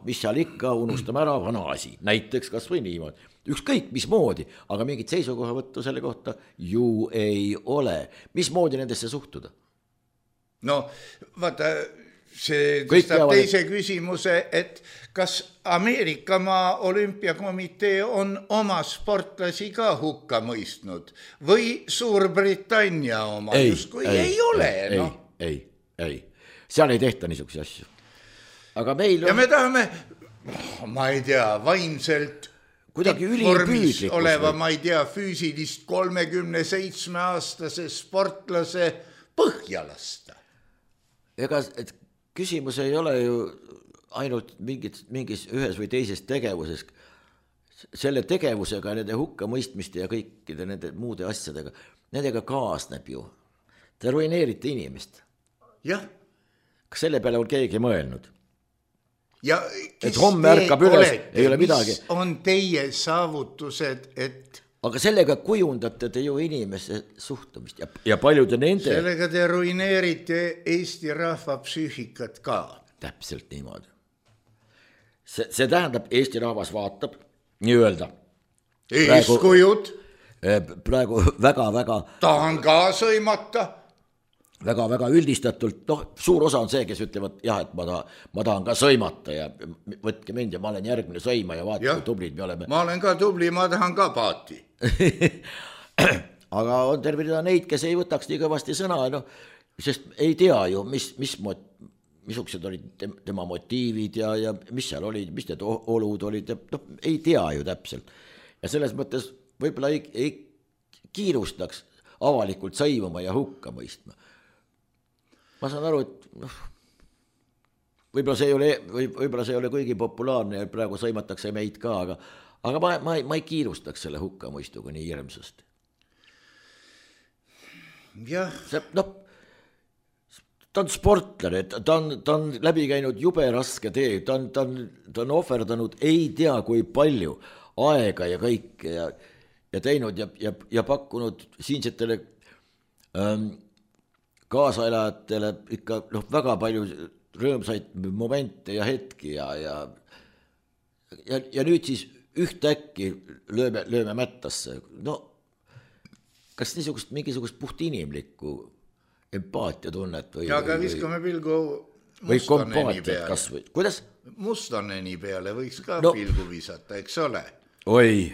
D: mis seal ikka, unustame ära vana asi, näiteks kas või niimoodi, ükskõik mismoodi, aga mingit seisukohavõttu selle kohta ju ei ole. Mismoodi nendesse suhtuda?
C: No vaata, see tõstab teise küsimuse, et kas Ameerikamaa olümpiakomitee on oma sportlasi ka hukka mõistnud või Suurbritannia oma? Ei ole.
D: Ei, seal ei tehta niisuguse asju. Aga meil on...
C: Ja me tahame, ma ei tea, vaimselt
D: kuidagi ülipüüdlikkus
C: oleva, ma ei tea, füüsilist 37-aastase sportlase põhja lasta.
D: Ega küsimus ei ole ju ainult mingis ühes või teises tegevuses. Selle tegevusega, nende hukkamõistmiste ja kõikide nende muude asjadega, nendega kaasneb ju. Te ruineerite inimest.
C: Jah.
D: Kas selle peale on keegi mõelnud?
C: Ja
D: et homme ärkab üles, ei ole midagi.
C: Mis on teie saavutused, et...
D: Aga sellega kujundate te ju inimese suhtumist ja paljude nende...
C: Sellega te ruineerite Eesti rahva psüühikat ka.
D: Täpselt niimoodi. See tähendab, Eesti rahvas vaatab, nii öelda.
C: Eeskujud.
D: Praegu väga...
C: Tahan ka sõimata.
D: Väga üldistatult, suur osa on see, kes ütlevad, jah, et ma tahan ka sõimata ja võtke mind ja ma olen järgmine sõima ja vaata, kui tublid me oleme.
C: Ma olen ka tubli, ma tahan ka paati.
D: Aga on terve rida neid, kes ei võtaks nii kõvasti sõna, sest ei tea ju, missugused olid tema motiivid ja mis seal olid, mis need olud olid, ei tea ju täpselt. Ja selles mõttes võib-olla ei kiirustaks avalikult sõimama ja hukka mõistma. Ma saan aru, et võib-olla see ei ole kuigi populaarne ja praegu sõimatakse meid ka, aga ma ei kiirustaks selle hukkamõistuga nii hirmsasti.
C: Jah.
D: Ta on sportlane, ta on läbi käinud jube raske tee, ta on ohverdanud ei tea kui palju aega ja kõike ja teinud ja pakkunud siinsetele kaasaelajatele ikka väga palju rõõmsaid momente ja hetki ja nüüd siis ühtäkki lööme mättasse. Kas mingisugust puhtinimlikku empaatiatunnet või...
C: Ja aga viskame pilgu Mustoneni peale.
D: Kuidas?
C: Mustoneni peale võiks ka pilgu visata, eks ole?
D: Oi,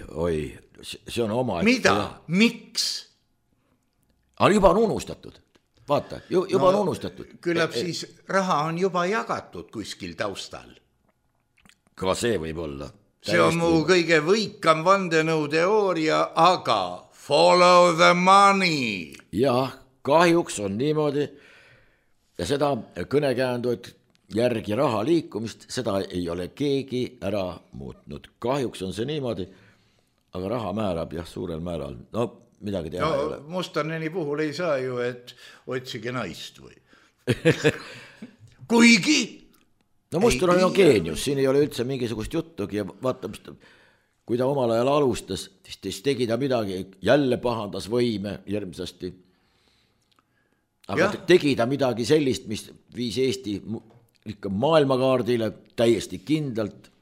D: see on oma...
C: Mida? Miks?
D: Juba on unustatud. Vaata, juba on unustatud.
C: Küllap siis raha on juba jagatud kuskil taustal.
D: Ka see võib olla.
C: See on mu kõige võikam vandenõuteooria, aga follow the money.
D: Jah, kahjuks on niimoodi ja seda kõnekäänduid järgi raha liikumist, seda ei ole keegi ära muutnud. Kahjuks on see niimoodi, aga raha määrab suurel määral. Midagi teha ei ole.
C: Mustoneni puhul ei saa ju, et otsige naist või. Kuigi...
D: Mustonen on geenius, siin ei ole üldse mingisugust juttugi ja vaata, kui ta omal ajal alustas, siis tegi ta midagi, jälle pahandas võime järgmisasti. Aga tegi ta midagi sellist, mis viis Eesti ikka maailmakaardile täiesti kindlalt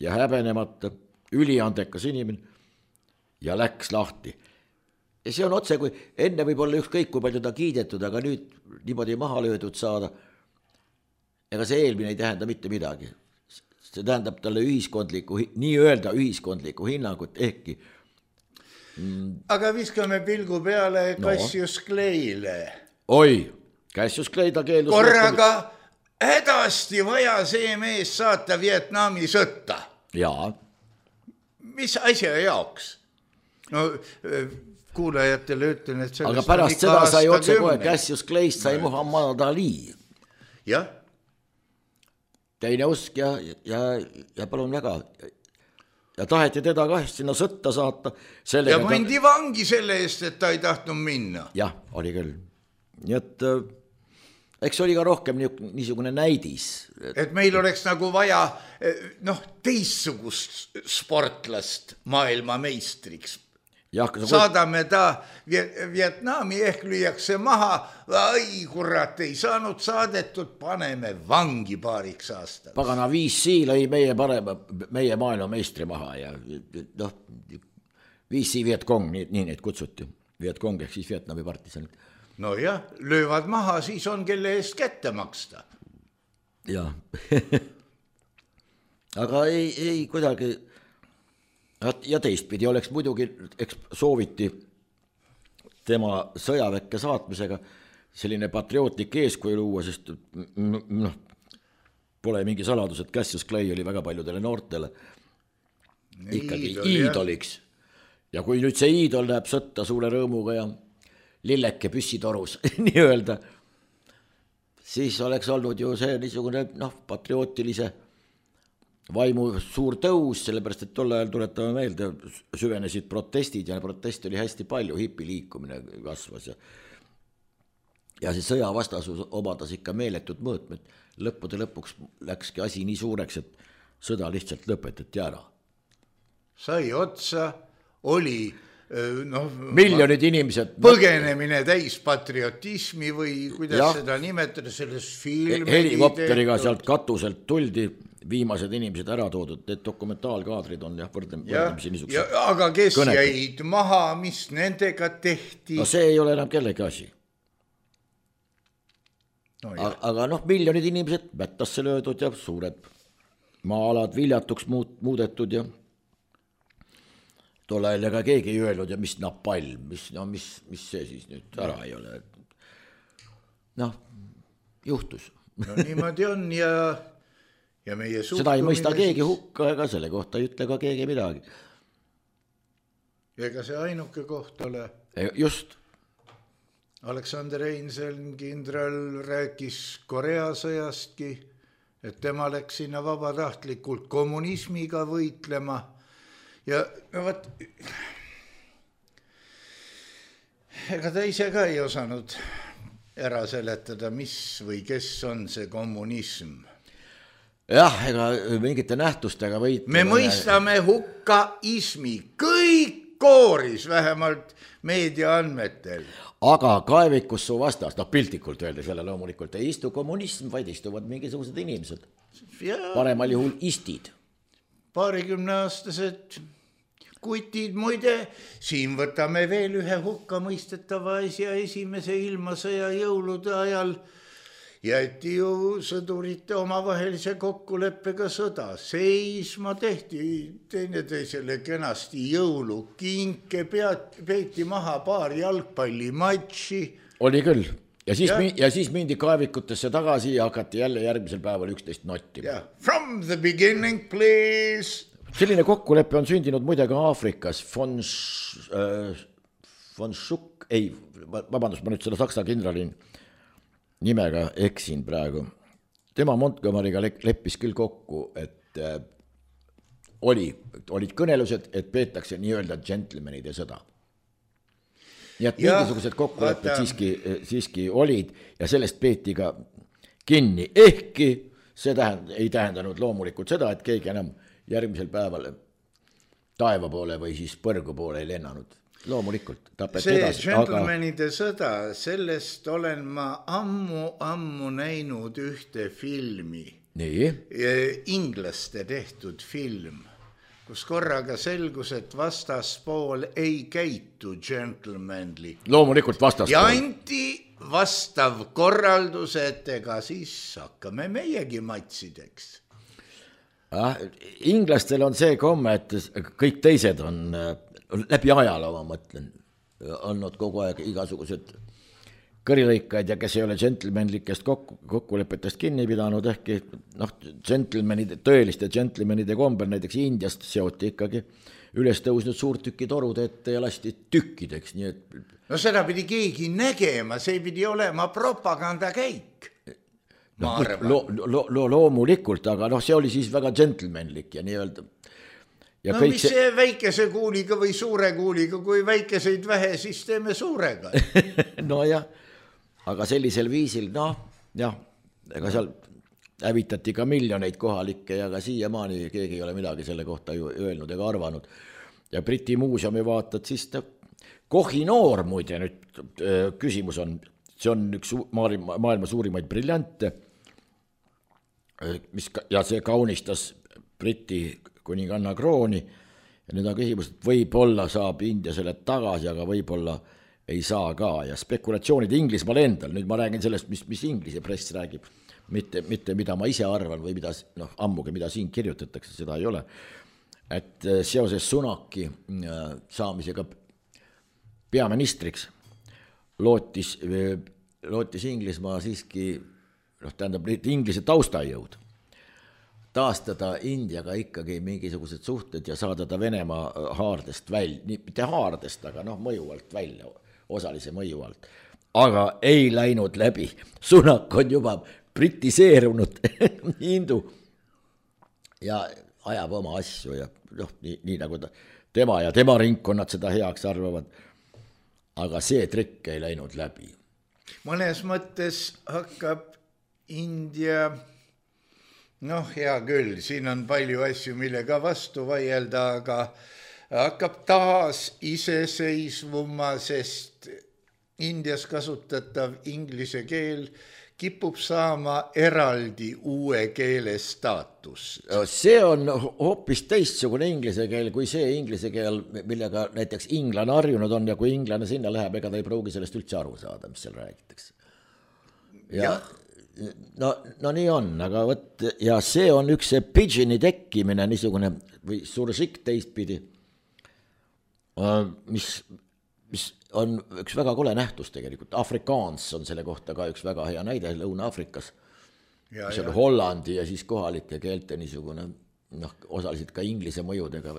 D: ja häbenemata, üliandekas inimene ja läks lahti. Ja see on otse, kui enne võib olla ükskõik, kui palju ta kiidetud, aga nüüd niimoodi maha löödud saada. Ega see eelmine ei tähenda mitte midagi. See tähendab talle nii-öelda ühiskondlikku hinnangut ehkki.
C: Aga viskame pilgu peale Cassius Clay'le.
D: Oi, Cassius Clay ta keeldus...
C: Korraga hädasti vaja see mees saata Vietnami sõtta.
D: Jaa.
C: Mis asja jaoks? Kuulajatele ütlen, et
D: aga pärast seda sai otse kohe Cassius Clay'st sai Muhammad Ali.
C: Jah.
D: Teine usk ja palun väga. Ja taheti teda ka sinna sõtta saata.
C: Ja mandi vangi selle eest, et ta ei tahtnud minna.
D: Jah, oli küll. Nii et eks oli ka rohkem niisugune näidis.
C: Et meil oleks nagu vaja teistsugust sportlast maailma meistriks. Saadame ta Vietnami, ehk lüüakse maha, ai kurat, ei saanud saadetud, paneme vangi paariks aastaks.
D: Pagana 5C lõi meie maailma meistri maha ja noh, 5C Vietkong, nii neid kutsuti. Vietkong ehk siis Vietnami partisanid.
C: No jah, löövad maha, siis on kelle eest kätte maksta.
D: Jah. Aga ei kuidagi... Ja teistpidi oleks muidugi, eks sooviti tema sõjaväkke saatmisega selline patriootlik eeskuju luua, sest pole mingi saladus, et Cassius Clay oli väga paljudele noortele ikkagi iidoliks. Ja kui nüüd see iidol läheb sõtta suure rõõmuga ja lilleke püssitorus nii öelda, siis oleks olnud ju see niisugune patriootilise vaimu suur tõus, sellepärast, et tol ajal tuletame meelde, süvenesid protestid ja protesti oli hästi palju, hipiliikumine kasvas ja see sõjavastasus omadas ikka meeletud mõõtmed. Lõppude lõpuks läkski asi nii suureks, et sõda lihtsalt lõpetati ära.
C: Sai otsa, oli
D: miljonid inimesed
C: põgenemine täis patriotismi või kuidas seda nimetada selles filmi.
D: Helikopteriga sealt katuselt tuldi, viimased inimesed ära toodud, need dokumentaalkaadrid on võrdlemisi niisugused.
C: Aga kes jäid maha, mis nendega tehti?
D: No see ei ole enam kellegi asi. Aga miljonid inimesed mättasse löödud ja suured maa-alad viljatuks muudetud ja tol ajal ega keegi ei öelnud ja mis napalm, mis see siis nüüd ära ei ole. Juhtus.
C: Niimoodi on ja meie suhtumine...
D: Seda ei mõista keegi hukka ega selle kohta ei ütle ka keegi midagi.
C: Ega see ainuke koht ole.
D: Just.
C: Aleksander Einseln, kindral, rääkis Korea sõjastki, et tema läks sinna vabatahtlikult kommunismiga võitlema. Ja vaat, ega ta ise ka ei osanud ära seletada, mis või kes on see kommunism.
D: Jah, ega mingite nähtustega võitlema.
C: Me mõistame hukka ismi, kõik kooris, vähemalt meedia andmetel.
D: Aga kaevikus su vastas, piltlikult öeldes jälle loomulikult ei istu kommunism, vaid istuvad mingisugused inimesed. Paremal juhul istid.
C: 20-aastased kutid, muide, siin võtame veel ühe hukka mõistetava asja esimese ilmasõja jõulude ajal. Jäeti ju sõdurite omavahelise kokkuleppega sõda. Seisma tehti teineteisele kenasti jõulukinke, peeti maha paar jalgpallimatši.
D: Oli küll. Ja siis mindi kaevikutesse tagasi ja hakati jälle järgmisel päeval 11 notti.
C: From the beginning, please.
D: Selline kokkulepe on sündinud muide ka Aafrikas. Von Schuck, vabandust, ma nüüd selle saksa kindralin nimega eksin praegu. Tema Montgomery'ga leppis küll kokku, et olid kõnelused, et peetakse nii-öelda džentelmenide sõda. Nii et mingisugused kokkulepped siiski olid ja sellest peeti ka kinni. Ehkki see ei tähendanud loomulikult seda, et keegi enam järgmisel päeval taeva poole või siis põrgu poole ei lennanud. Loomulikult tapeti edasi.
C: See džentelmenide sõda, sellest olen ma ammu näinud ühte filmi.
D: Nii?
C: Inglaste tehtud film, kus korraga selgus, et vastaspool ei käitu džentelmenli.
D: Loomulikult vastaspool.
C: Ja anti vastav korraldus, et ega siis hakkame meiegi matsideks.
D: Inglastel on see komme, et kõik teised on läbi ajaloo, ma mõtlen, olnud kogu aeg igasugused kõrilõikad ja kes ei ole džentelmenlikest kokkulepetest kinni pidanud, ehkki tõeliste džentelmenide kombel näiteks Indiast seoti ikkagi üles tõusnud suurtüki torud ette ja lasti tükkideks. Nii et...
C: No seda pidi keegi nägema, see pidi olema propagandakäik.
D: Loomulikult, aga see oli siis väga džentelmenlik ja nii-öelda. Ja
C: mis see väikese kuuliga või suure kuuliga, kui väikeseid vähe, siis teeme suurega.
D: No jah, aga sellisel viisil, jah, ega seal hävitati ka miljoneid kohalikke ja ka siiamaani keegi ei ole midagi selle kohta ju öelnud ega arvanud. Ja Briti muuseumi vaatad, siis Kohinoor muide nüüd küsimus on, see on üks maailma suurimaid briljante, ja see kaunistas Briti kuninganna krooni ja nüüd on küsimus, et võib-olla saab India selle tagasi, aga võib-olla ei saa ka ja spekulatsioonid Inglismaal endal, nüüd ma räägin sellest, mis Inglise press räägib, mitte mida ma ise arvan või mida, ammugi mida siin kirjutatakse, seda ei ole, et seoses Sunaki saamisega peaministriks lootis Inglismaa siiski, tähendab Inglise taustajõud taastada Indiaga ikkagi mingisugused suhted ja saada ta Venemaa haardest välja, mitte haardest, aga mõju alt välja, osalise mõju alt. Aga ei läinud läbi. Sunak on juba britiseerunud hindu ja ajab oma asju ja nii nagu tema ja tema ringkonnad seda heaks arvavad. Aga see trikk ei läinud läbi.
C: Mõnes mõttes hakkab India, hea küll, siin on palju asju, millega vastu vaielda, aga hakkab taas iseseisvuma, sest Indias kasutatav inglise keel kipub saama eraldi uue keele staatus.
D: See on hoopis teistsugune inglise keel kui see inglise keel, millega näiteks inglane harjunud on ja kui inglane sinna läheb, ega ta ei pruugi sellest üldse aru saada, mis seal räägitakse. Ja. No nii on, aga võt, ja see on üks see pidgini tekkimine niisugune või sursik teistpidi, mis on üks väga kole nähtus tegelikult. Afrikaans on selle kohta ka üks väga hea näide Lõuna-Afrikas, mis on Hollandi ja siis kohalike keelte niisugune, osaliselt ka inglise mõjudega,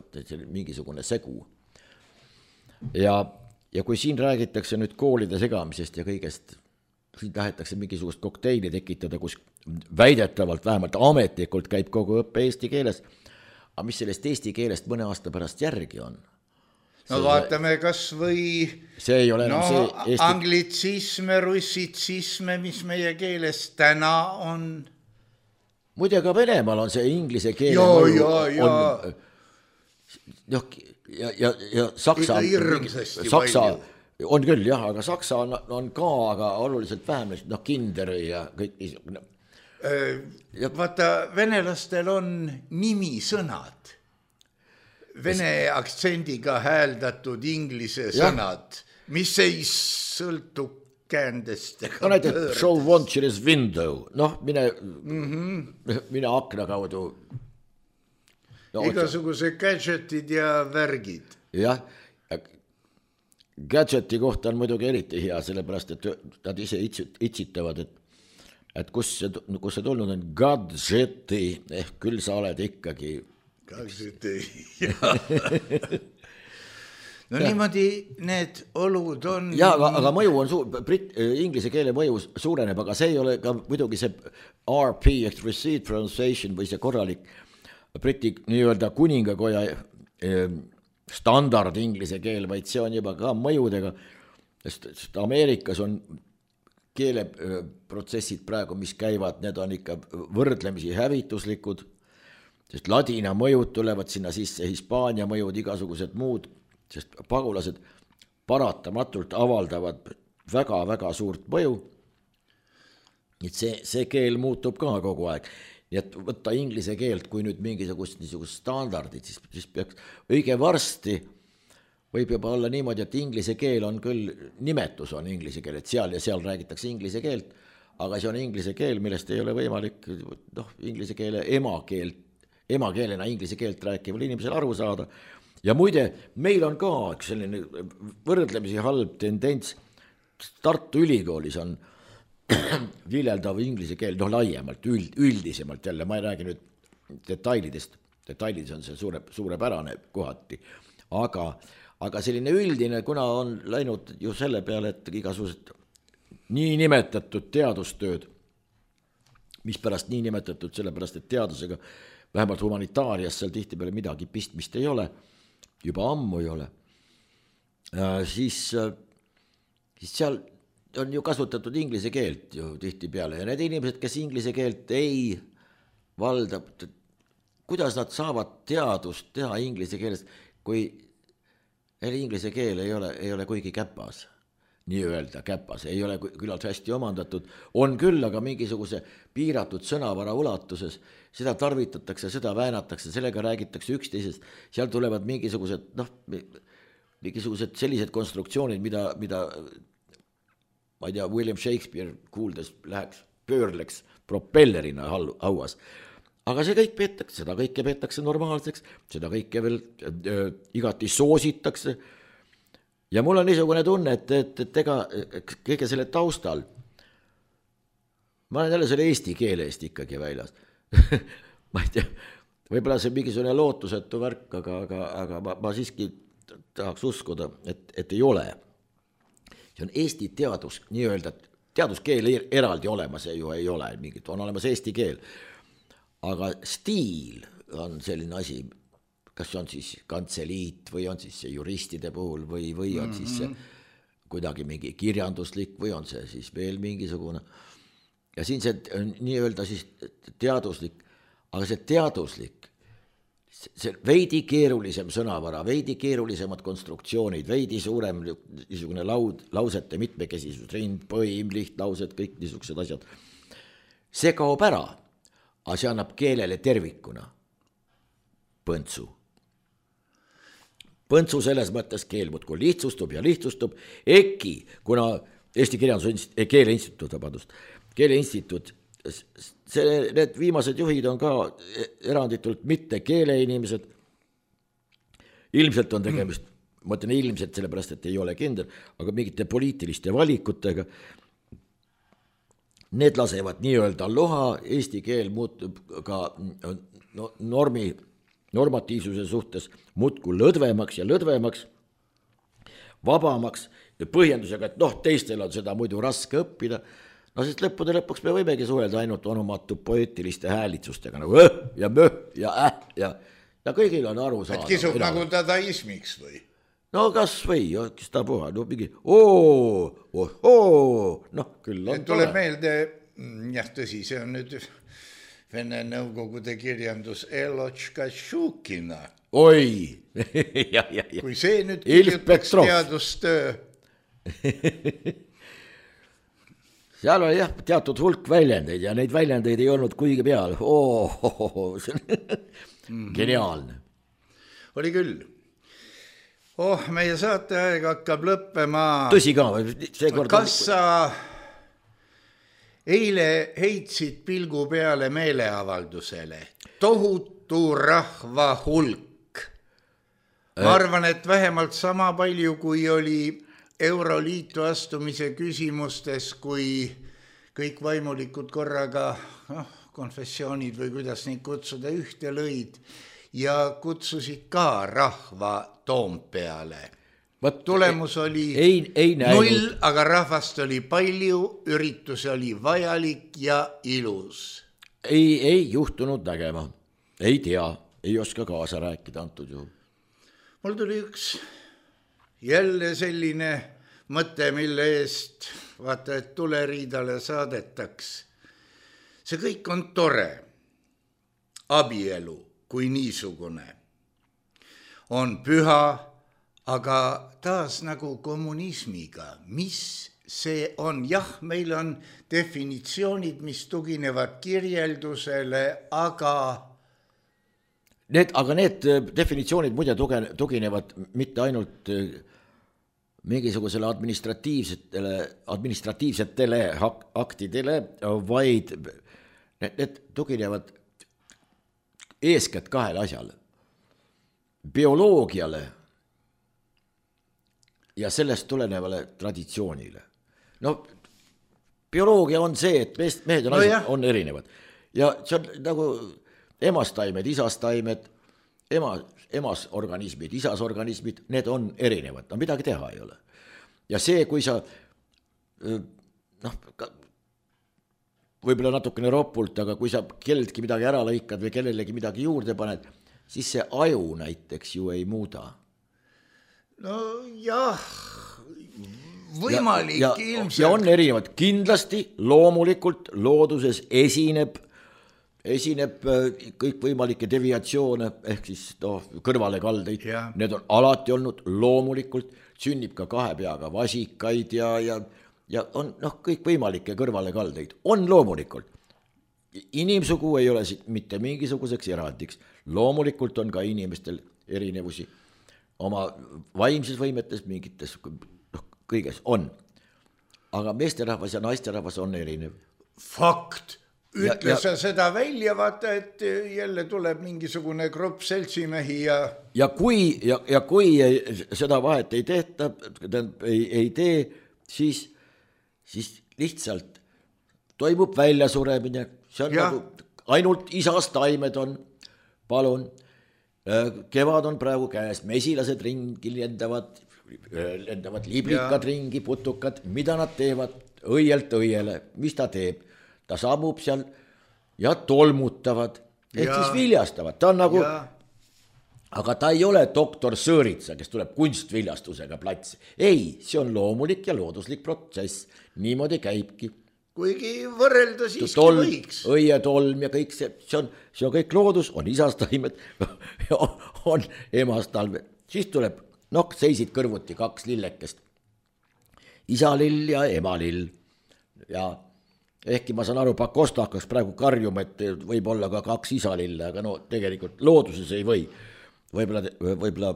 D: mingisugune segu. Ja kui siin räägitakse nüüd koolide segamisest ja kõigest, siin tahetakse mingisugust kokteili tekitada, kus väidetavalt vähemalt ametlikult käib kogu õppe eesti keeles, aga mis sellest eesti keelest mõne aasta pärast järgi on?
C: Vaatame kas või
D: see ei ole see
C: eesti... anglitsisme, russitsisme, mis meie keeles täna on.
D: Muide ka Venemaal on see inglise keele ja Saksa on küll jah, aga Saksa on ka, aga oluliselt vähem, kinder ja kõik niisugune.
C: Vaata, venelastel on nimisõnad. Vene aktsendiga hääldatud inglise sõnad, mis ei sõltu käändest.
D: Näiteks show watcher's window, mine akna kaudu.
C: Igasuguse gadgetid ja värgid.
D: Jah, gadgeti kohta on muidugi eriti hea, sellepärast, et nad ise itsitavad, et kus see tulnud on gadgeti, ehk küll sa oled ikkagi
C: niimoodi need olud on.
D: Ja, aga mõju on inglise keele mõju suureneb, aga see ei ole ka muidugi see RP, Received Pronunciation või see korralik Briti nii-öelda kuningakoja standard inglise keel, vaid see on juba ka mõjudega, sest Ameerikas on keeleprotsessid praegu, mis käivad, need on ikka võrdlemisi hävituslikud, sest ladina mõjud tulevad sinna sisse, Hispaania mõjud, igasugused muud, sest pagulased paratamatult avaldavad väga-väga suurt mõju. Et see keel muutub ka kogu aeg. Nii et võtta inglise keelt, kui nüüd mingisugust standardid, siis peaks õige varsti võib juba olla niimoodi, et inglise keel on küll, nimetus on inglise keel, et seal ja seal räägitakse inglise keelt, aga see on inglise keel, millest ei ole võimalik inglise keele emakeelena inglise keelt rääkival inimesel aru saada. Ja muide, meil on ka üks selline võrdlemisi halb tendents, Tartu Ülikoolis on viljeldav inglise keel, laiemalt, üldisemalt jälle, ma ei räägi nüüd detailidest, detailides on see suurepärane kohati, aga selline üldine, kuna on läinud ju selle peale, et igasugused nii nimetatud teadustööd, mis pärast nii nimetatud, sellepärast, et teadusega vähemalt humanitaarias seal tihtipeale midagi pistmist ei ole, juba ammu ei ole, siis seal on ju kasutatud inglise keelt ju tihtipeale ja need inimesed, kes inglise keelt ei valda, kuidas nad saavad teadust teha inglise keeles, kui inglise keel ei ole kuigi käpas, nii-öelda käpas, ei ole küllalt hästi omandatud, on küll, aga mingisuguse piiratud sõnavara ulatuses, seda tarvitatakse, seda väänatakse, sellega räägitakse üksteisest, seal tulevad mingisugused sellised konstruktsioonid, mida ma ei tea, William Shakespeare kuuldes pöörleks propellerina hauas. Aga see kõik peetakse, seda kõike peetakse normaalseks, seda kõike veel igati soositakse. Ja mul on niisugune tunne, et ega kõige selle taustal, ma olen jälle selle eesti keele eest ikkagi väljas. Ma ei tea, võib-olla see mingisugune lootusetu värk, aga ma siiski tahaks uskuda, et ei ole. See on eesti teadus, nii-öelda teaduskeel eraldi olemas ju ei ole, on olemas eesti keel. Aga stiil on selline asi, kas see on siis kantseliit või on siis see juristide puhul või on siis see kuidagi mingi kirjanduslik või on see siis veel mingisugune. Ja siin see nii-öelda siis teaduslik, aga see teaduslik, see veidi keerulisem sõnavara, veidi keerulisemad konstruktsioonid, veidi suurem niisugune lausete mitmekesisus, rind, põim, lihtlaused, kõik niisugused asjad. See kaob ära. Aga see annab keelele tervikuna põntsu. Põntsu selles mõttes keel muudkui lihtsustub ja lihtsustub, EKI, kuna Eesti Keeleinstituut, need viimased juhid on ka eranditult mitte keeleinimesed. Ilmselt on tegemist, ma ütlen ilmselt sellepärast, et ei ole kindel, aga mingite poliitiliste valikutega. Need lasevad nii-öelda loha, eesti keel muutub ka normatiivsuse suhtes muudkui lõdvemaks ja lõdvemaks, vabamaks ja põhjendusega, et teistel on seda muidu raske õppida. Sest lõppude lõpuks me võimegi suhelda ainult onomatu poeetiliste häälitsustega, nagu ja ja kõigil on aru saada.
C: Et kisub nagu dadaismiks või?
D: No kas või, kes ta puha, mingi küll on
C: tuleb meelde, jah tõsi, see on nüüd Vene Nõukogude kirjandus Elotška Šukina.
D: Oi!
C: Kui see nüüd kirjutaks teadustöö.
D: Seal oli jah teatud hulk väljendeid ja neid väljendeid ei olnud kuigi peal. See on geniaalne.
C: Oli küll. Meie saateaeg hakkab lõppema.
D: Tõsi ka.
C: Kas sa eile heitsid pilgu peale meeleavaldusele? Tohutu rahva hulk. Ma arvan, et vähemalt sama palju, kui oli Euroliitu astumise küsimustes, kui kõik vaimulikud korraga, konfessioonid või kuidas neid kutsuda, ühte lõid ja kutsusid ka rahva Toompeale. Tulemus oli
D: ei
C: 0, aga rahvast oli palju, üritus oli vajalik ja ilus.
D: Ei juhtunud nägema, ei tea, ei oska kaasa rääkida antud juhul.
C: Mul tuli üks jälle selline mõte, mille eest vaata, et tuleriidale saadetaks. See kõik on tore. Abielu kui niisugune on püha, aga taas nagu kommunismiga. Mis see on? Jah, meil on definitsioonid, mis tuginevad kirjeldusele, aga
D: need definitsioonid muide tuginevad mitte ainult mingisugusele administratiivsetele aktidele, vaid need tuginevad eeskätt kahele asjale. Bioloogiale ja sellest tulenevale traditsioonile. Bioloogia on see, et mehed ja naised on erinevad. Ja see on nagu emastaimed, isastaimed, emas organismid, isas organismid, need on erinevad, midagi teha ei ole. Ja see, kui sa võib-olla natukene ropult, aga kui sa kelleltki midagi ära lõikad või kellelegi midagi juurde paned, siis see aju näiteks ju ei muuda.
C: No jah, võimalik ilmselt.
D: Ja on erinevad, kindlasti loomulikult looduses esineb kõikvõimalikke deviatsioone ehk siis kõrvalekaldeid, need on alati olnud loomulikult, sünnib ka kahe peaga vasikaid ja on kõikvõimalikke kõrvalekaldeid, on loomulikult. Inimsugu ei ole siit mitte mingisuguseks erandiks, loomulikult on ka inimestel erinevusi oma vaimses võimetes, mingites kõiges on, aga meesterahvas ja naisterahvas on erinev.
C: Fakt, ütle sa seda välja, vaata, et jälle tuleb mingisugune grupp seltsimehi ja kui
D: seda vahet ei tehta, ei tee, siis lihtsalt toimub väljasuremine, see on nagu ainult isas taimed on, palun, kevad on praegu käes, mesilased ringi lendavad liblikad ringi, putukad, mida nad teevad õielt õiele, mis ta teeb, ta sammub seal ja tolmutavad, ehk siis viljastavad, ta on nagu, aga ta ei ole doktor Sõõritsa, kes tuleb kunstviljastusega platsi, ei, see on loomulik ja looduslik protsess, niimoodi käibki.
C: Kuigi võrrelda siiski võiks.
D: Õietolm ja kõik see on kõik loodus, on isastaimed, on emastalmed, siis tuleb, seisid kõrvuti kaks lillekest, isalill ja emalill ja ehkki ma saan aru, Pakosta hakkas praegu karjuma, et võib olla ka kaks isalille, aga tegelikult looduses ei või. Võib-olla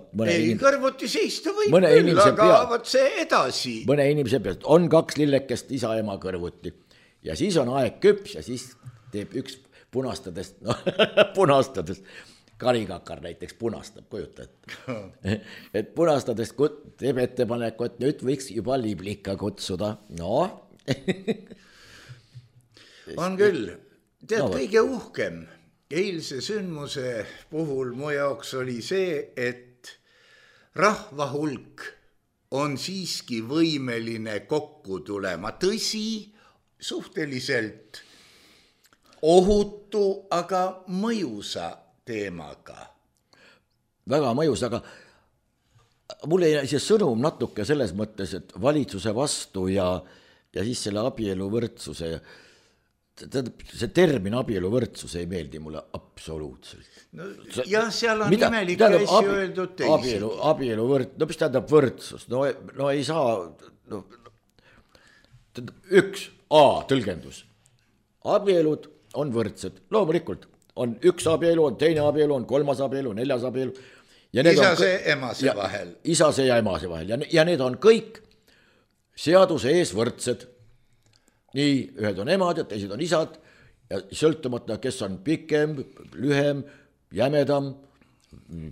C: kõrvuti seista võib küll, aga võt see edasi.
D: Mõne inimese pealt on kaks lillekest isa-ema kõrvuti ja siis on aeg küps ja siis teeb üks punastades, karikakar näiteks punastab, kujuta, et punastades teeb ettepaneku, et nüüd võiks juba liblika kutsuda,
C: on küll, tead kõige uhkem eilse sündmuse puhul mu jaoks oli see, et rahva hulk on siiski võimeline kokku tulema, tõsi, suhteliselt ohutu, aga mõjusa teemaga.
D: Väga mõjus, aga mulle jäi see sõnum natuke selles mõttes, et valitsuse vastu ja siis selle abieluvõrdsuse see termin abieluvõrdsus ei meeldi mulle absoluutselt.
C: Jah, seal on imelikke asju öeldud teisi.
D: Abieluvõrdsus, mis tähendab võrdsus? No ei saa, üks tõlgendus. Abielud on võrdsed, loomulikult. On üks abielu, on teine abielu, on kolmas abielu, neljas abielu.
C: Isase, emase vahel.
D: Isase ja emase vahel ja need on kõik seaduse ees võrdsed. Nii, ühed on emad ja teised on isad ja sõltumata, kes on pikem, lühem, jämedam,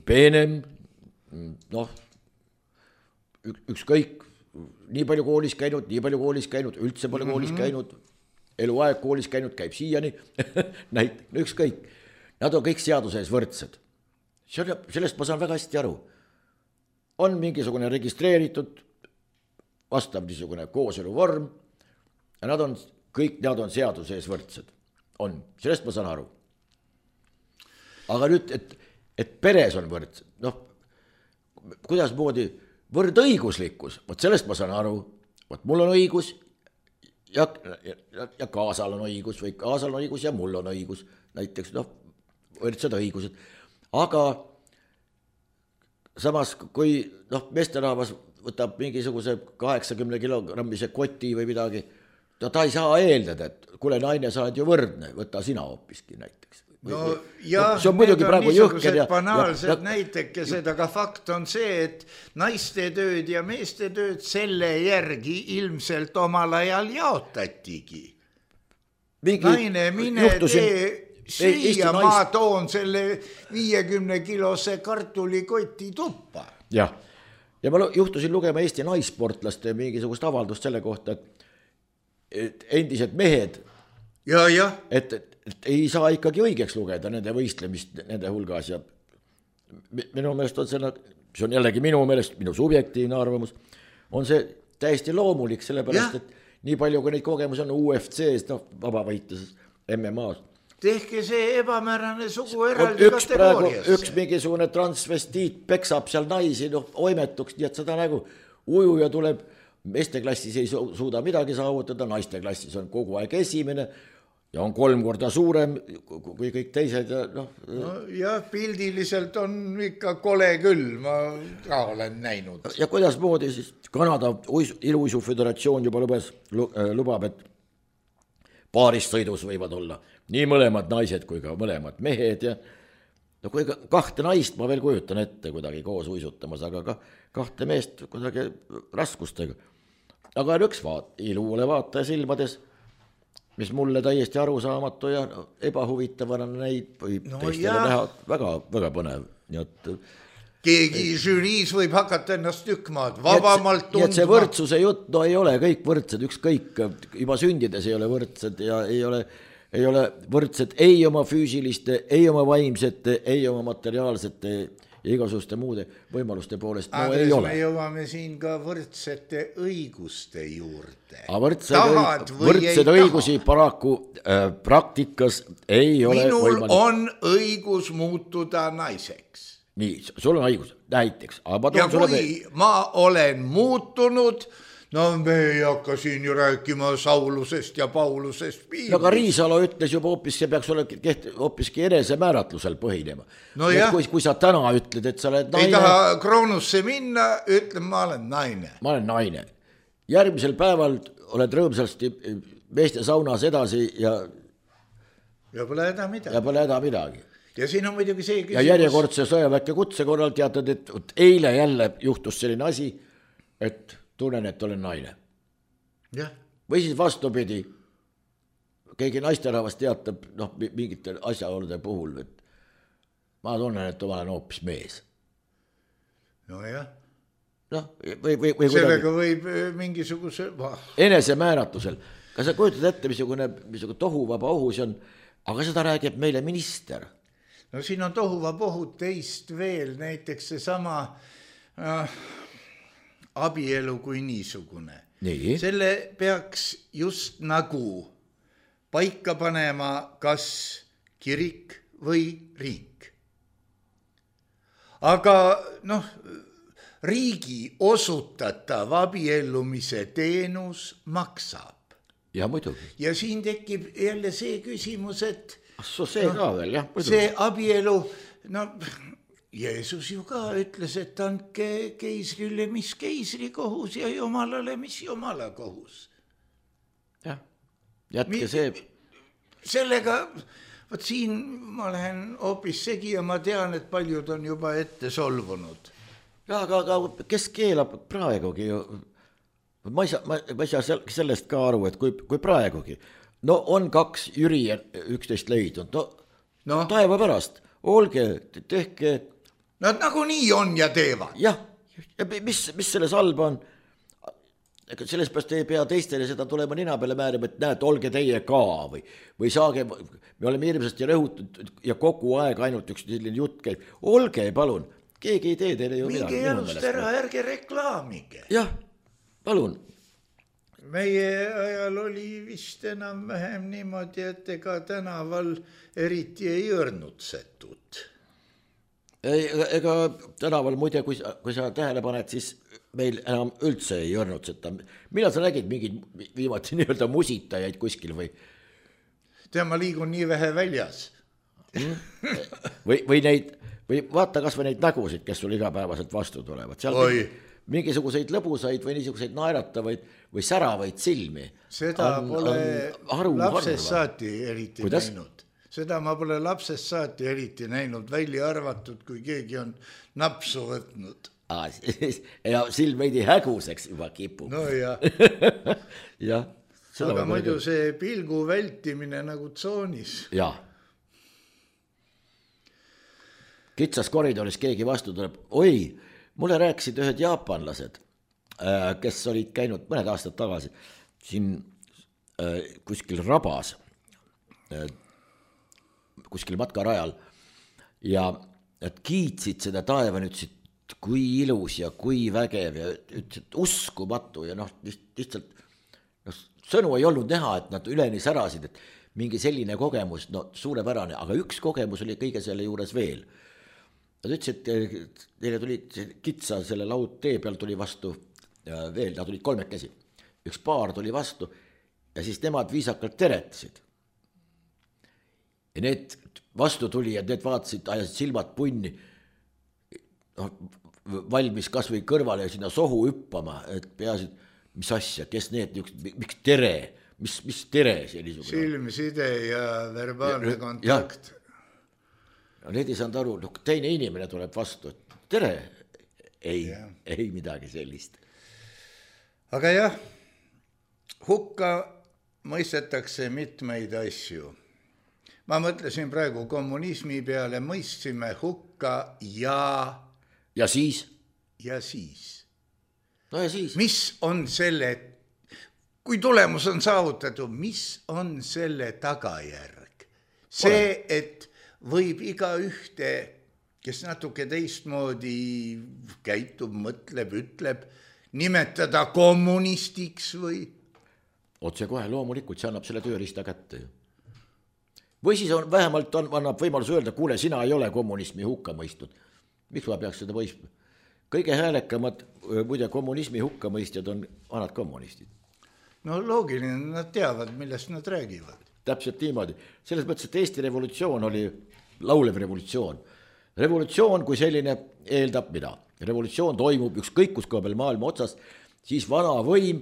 D: peenem, ükskõik, nii palju koolis käinud, üldse pole koolis käinud, eluaeg koolis käinud, käib siiani, ükskõik, nad on kõik seaduse ees võrdsed. Sellest ma saan väga hästi aru. On mingisugune registreeritud, vastav niisugune kooselu vorm, ja nad on seaduse ees võrdsed. On, sellest ma saan aru. Aga nüüd, et peres on võrdsed, kuidas moodi võrdõiguslikkus, sellest ma saan aru, mul on õigus ja kaasal on õigus või kaasal on õigus ja mul on õigus, näiteks võrdsed õigused. Aga samas, kui meesterahvas võtab mingisuguse 80 kilogrammise koti või midagi, ta ei saa eeldada, et kuule naine, sa oled ju võrdne, võta sina hoopiski näiteks.
C: See on muidugi praegu jõhked banaalsed näitekesed, aga fakt on see, et naiste tööd ja meeste tööd selle järgi ilmselt omal ajal jaotatigi. Naine, mine tee süüa, ma toon selle 50-kilose kartulikoti tuppa.
D: Ja ma juhtusin lugema Eesti naisportlaste mingisugust avaldust selle kohta, et endised mehed, et ei saa ikkagi õigeks lugeda nende võistlemist nende hulgas ja minu meelest on see on jällegi minu meelest, minu subjektiivne arvamus, on see täiesti loomulik, sellepärast, et nii palju, kui neid kogemusi on UFC-s, vabavõitluses, MMA-s.
C: Tehke see ebamäärane sugu eraldi kategooriasse.
D: Üks mingisugune transvestiit peksab seal naisi, oimetuks, nii et seda nagu ujuja tuleb meeste klassis ei suuda midagi saavutada, naiste klassis on kogu aeg esimene ja on 3 korda suurem kui kõik teised ja noh.
C: No, jah, pildiliselt on ikka kole küll, ma ka olen näinud.
D: Ja kuidas moodi siis Kanada iluuisuföderatsioon juba lubab, et paaris sõidus võivad olla nii mõlemad naised kui ka mõlemad mehed ja no kui 2 naist ma veel kujutan ette kuidagi koos uisutamas, aga ka 2 meest kuidagi raskustega. Aga on üks iluule vaataja silmades, mis mulle täiesti arusaamatu ja ebahuvitavana neid või teistele näha väga, väga põnev. Nii et
C: keegi žüriis võib hakata ennast tükmaad vabamalt tundma.
D: Nii et see võrdsuse jutt, no ei ole kõik võrdsed, ükskõik, juba sündides ei ole võrdsed ja ei ole võrdsed ei oma füüsiliste, ei oma vaimsete, ei oma materiaalsete ja igasuguste muude võimaluste poolest. No
C: Andres,
D: ei ole.
C: me jõuame siin ka võrdsete õiguste juurde.
D: Võrdsed õigusi paraku praktikas ei ole
C: minul
D: võimalik.
C: on õigus muutuda naiseks.
D: Nii, sul on õigus, näiteks.
C: Ja kui ma olen muutunud, no me ei hakka siin ju rääkima Saulusest ja Paulusest piirist.
D: No aga Riisalo ütles juba hoopis, see peaks olema hoopiski enesemääratlusel põhinema.
C: No
D: kui sa täna ütled, et sa oled naine.
C: Ei taha Kroonusse minna, ütlen, ma olen naine.
D: Ma olen naine. Järgmisel päeval oled rõõmsasti meeste saunas edasi ja
C: pole häda midagi. Ja siin on muidugi see küsimus.
D: Ja järjekordse sõjaväkke kutse korral teatad, et eile jälle juhtus selline asi, et tunnen, et olen naine.
C: Ja.
D: Või siis vastupidi, keegi naisterahvas teatab mingite asjaolude puhul, et ma tunnen, et ma olen hoopis mees.
C: No jah.
D: Või
C: sellega võib mingisuguse
D: enesemääratusel. Kas sa kujutad ette, missugune tohuvaba ohus on, aga seda räägib meile minister.
C: No siin on tohuvaba ohud teist veel, näiteks see sama abielu kui niisugune.
D: Nii.
C: Selle peaks just nagu paika panema kas kirik või riik. Aga riigi osutatav abiellumise teenus maksab.
D: Ja muidugi.
C: Ja siin tekib jälle see küsimus, et
D: see ka veel, jah.
C: See abielu, Jeesus ju ka ütles, et andke keisrile, mis keisri kohus ja jumalale, mis jumala kohus.
D: Jah, jätke see.
C: Sellega, siin ma lähen hoopis segi ja ma tean, et paljud on juba ette solvunud.
D: Ja, aga kes keelab praegugi ju? Ma ei saa sellest ka aru, et kui praegugi. No on 2 Jüri 11 leidnud. Taeva pärast. Olge, tehke.
C: Nad nagu nii on ja teevad.
D: Jah, ja mis selles halba on? Selles pärast ei pea teistele seda tulema nina peale määrima, et näed, olge teie ka või saage, me oleme hirmsasti rõhutud ja kogu aeg ainult üks jutt käib. Olge, palun, keegi ei tee teile ju midagi.
C: Minge jalust ära, ärge reklaamige.
D: Jah, palun.
C: Meie ajal oli vist enam vähem niimoodi, et ega tänaval eriti ei õrnutsetud.
D: Ega tänaval muide, kui sa tähele paned, siis meil enam üldse ei õrnutseta. Millal sa nägid mingid viimati nii-öelda musitajaid kuskil või?
C: Ma liigun nii vähe väljas.
D: või vaata kas või neid nägusid, kes sul igapäevaselt vastu tulevad. Seal mingisuguseid lõbusaid või niisuguseid naeratavaid või säravaid silmi.
C: Seda pole lapsest saati eriti näinud. Seda ma pole lapsest saati eriti näinud, välja arvatud, kui keegi on napsu võtnud.
D: Ja silm veidi häguseks juba kipub.
C: No jah.
D: Jah.
C: Aga muidu see pilgu vältimine nagu tsoonis.
D: Jah. Kitsas koridoris keegi vastu tuleb. Oi, mulle rääkisid ühed jaapanlased, kes olid käinud mõned aastad tagasi siin kuskil rabas, kuskil matkarajal ja et kiitsid seda taevani, ütlesid, kui ilus ja kui vägev ja ütlesid uskumatu ja lihtsalt sõnu ei olnud näha, et nad üleni särasid, et mingi selline kogemus, suurepärane, aga üks kogemus oli kõige selle juures veel. Nad ütlesid, et neile tuli kitsa selle laudtee peal tuli vastu veel, nad olid kolmekesi. Üks paar tuli vastu ja siis nemad viisakalt teretasid. Ja need vastu tuli ja need vaatasid, ajasid silmad punni, valmis kas või kõrvale sinna sohu hüppama, et peasid, mis asja, kes need, miks tere, mis tere see niisugune.
C: Silmside ja verbaalne kontakt.
D: No need ei saanud aru, teine inimene tuleb vastu, et tere, ei midagi sellist.
C: Aga jah, hukka mõistetakse mitmeid asju. Ma mõtlesin praegu kommunismi peale, mõistsime hukka
D: ja siis?
C: Ja siis.
D: No ja siis?
C: Mis on selle, kui tulemus on saavutatud, mis on selle tagajärg? See, et võib iga ühte, kes natuke teistmoodi käitub, mõtleb, ütleb, nimetada kommunistiks või?
D: Otse kohe loomulikult, see annab selle tööriista kätte. Või siis vähemalt annab võimalus öelda, kuule, sina ei ole kommunismi hukka mõistnud. Miks ma peaks seda mõistma? Kõige häälekamad muide kommunismi hukka mõistjad on vanad kommunistid.
C: No loogiline, nad teavad, millest nad räägivad.
D: Täpselt niimoodi. Selles mõttes, et Eesti revolutsioon oli laulev revolutsioon. Revolutsioon kui selline eeldab mida? Revolutsioon toimub ükskõik kus koha peal maailma otsas, siis vana võim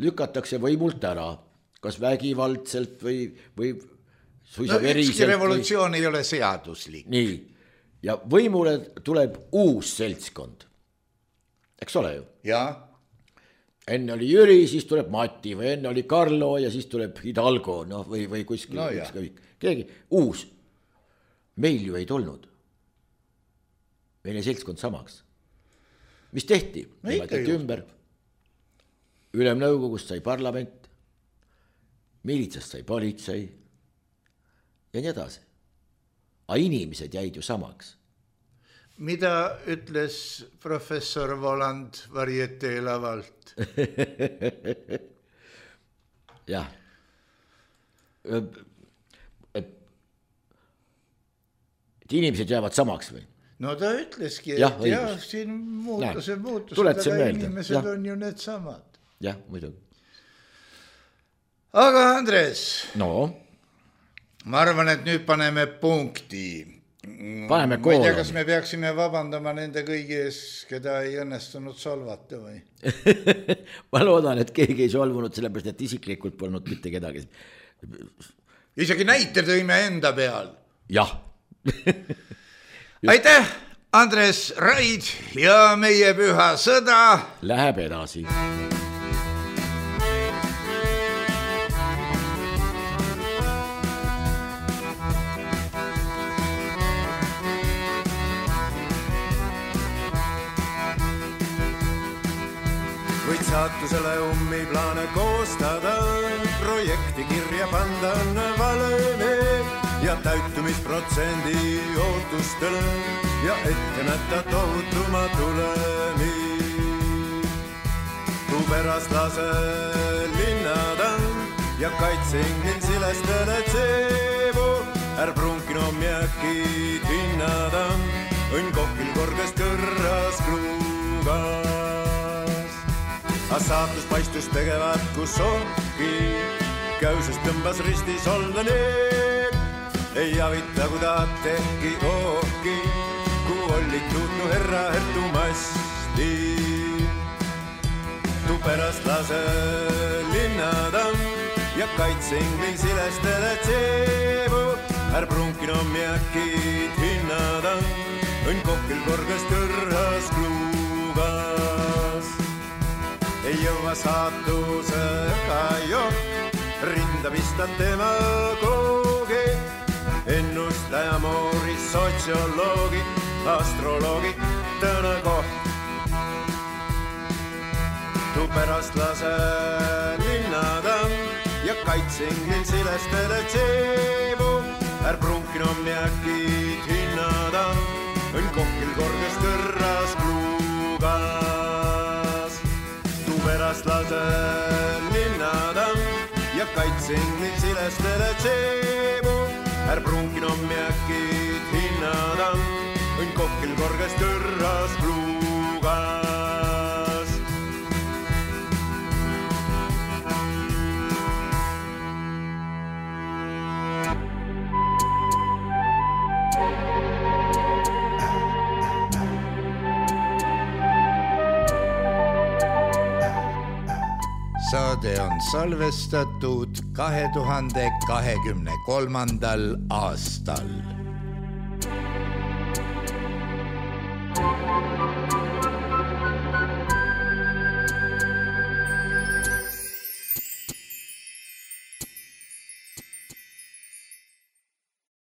D: lükatakse võimult ära. Kas vägivaldselt või suisa veriselt.
C: Ükski revolutsioon ei ole seaduslik.
D: Nii. Ja võimule tuleb uus seltskond. Eks ole ju?
C: Jaa.
D: Enne oli Jüri, siis tuleb Mati või enne oli Karlo ja siis tuleb Hidalgo või kuskil.
C: No
D: keegi uus. Meil ju ei tulnud. Meil ei seltskond samaks. Mis tehti? Nimetati ümber. Ülemnõukogust sai parlament, miilitsast sai politsei ja nii edasi. Aga inimesed jäid ju samaks.
C: Mida ütles professor Voland Varietee lavalt?
D: Jah. Et inimesed jäävad samaks või?
C: No ta ütleski, et siin muutused, aga inimesed on ju need samad.
D: Jah, muidugi.
C: Aga Andres, ma arvan, et nüüd paneme punkti.
D: Paneme
C: koolami. Ma ei tea, kas me peaksime vabandama nende kõigi ees, keda ei õnnestunud solvata või?
D: Ma loodan, et keegi ei solvunud, sellepärast, et isiklikult polnud mitte kedagi.
C: Isegi näite tõime enda peal.
D: Jah.
C: Aitäh, Andres Raid ja meie püha sõda
D: läheb edasi.
E: Võid saatusele plaane koostada, projekti kirja panda on valemi ja täitumisprotsendi ootustele ja ette nätta tohutuma tulemi. Tu pärast lase linnada ja kaitseingin silestele tseevu, prunkino mjäkid hinnada, õnn kohkil korges kõrras kruugas. A saatus paistus tegevat kus ongi, käysest tõmbas ristis olla need. Ei avita, kui tahad tehki ooki, kui olid tuutnu herra hertumasti. Tu pärast lase linnada ja kaitseingli silestele tseevu, prunkino mjäkid hinnada, õnn kohkil korges kõrras kruugas. Ei jõua saatusega jokk, rinda pistan tema koogi, ennustaja moori, sotsioloogi, astroloogi, tõna koht. Tu pärast lase linnada ja kaitseingil silestele tseevu, prunkino mjäkid hinnada, õnn kohkil korges kõrras kruugas. Pärast lase linnada ja kaitseingil silestele tseevu, prunkino mjäkid hinnada, õnn kohkil korges kõrras kruugas.
C: saade on salvestatud 2023. aastal.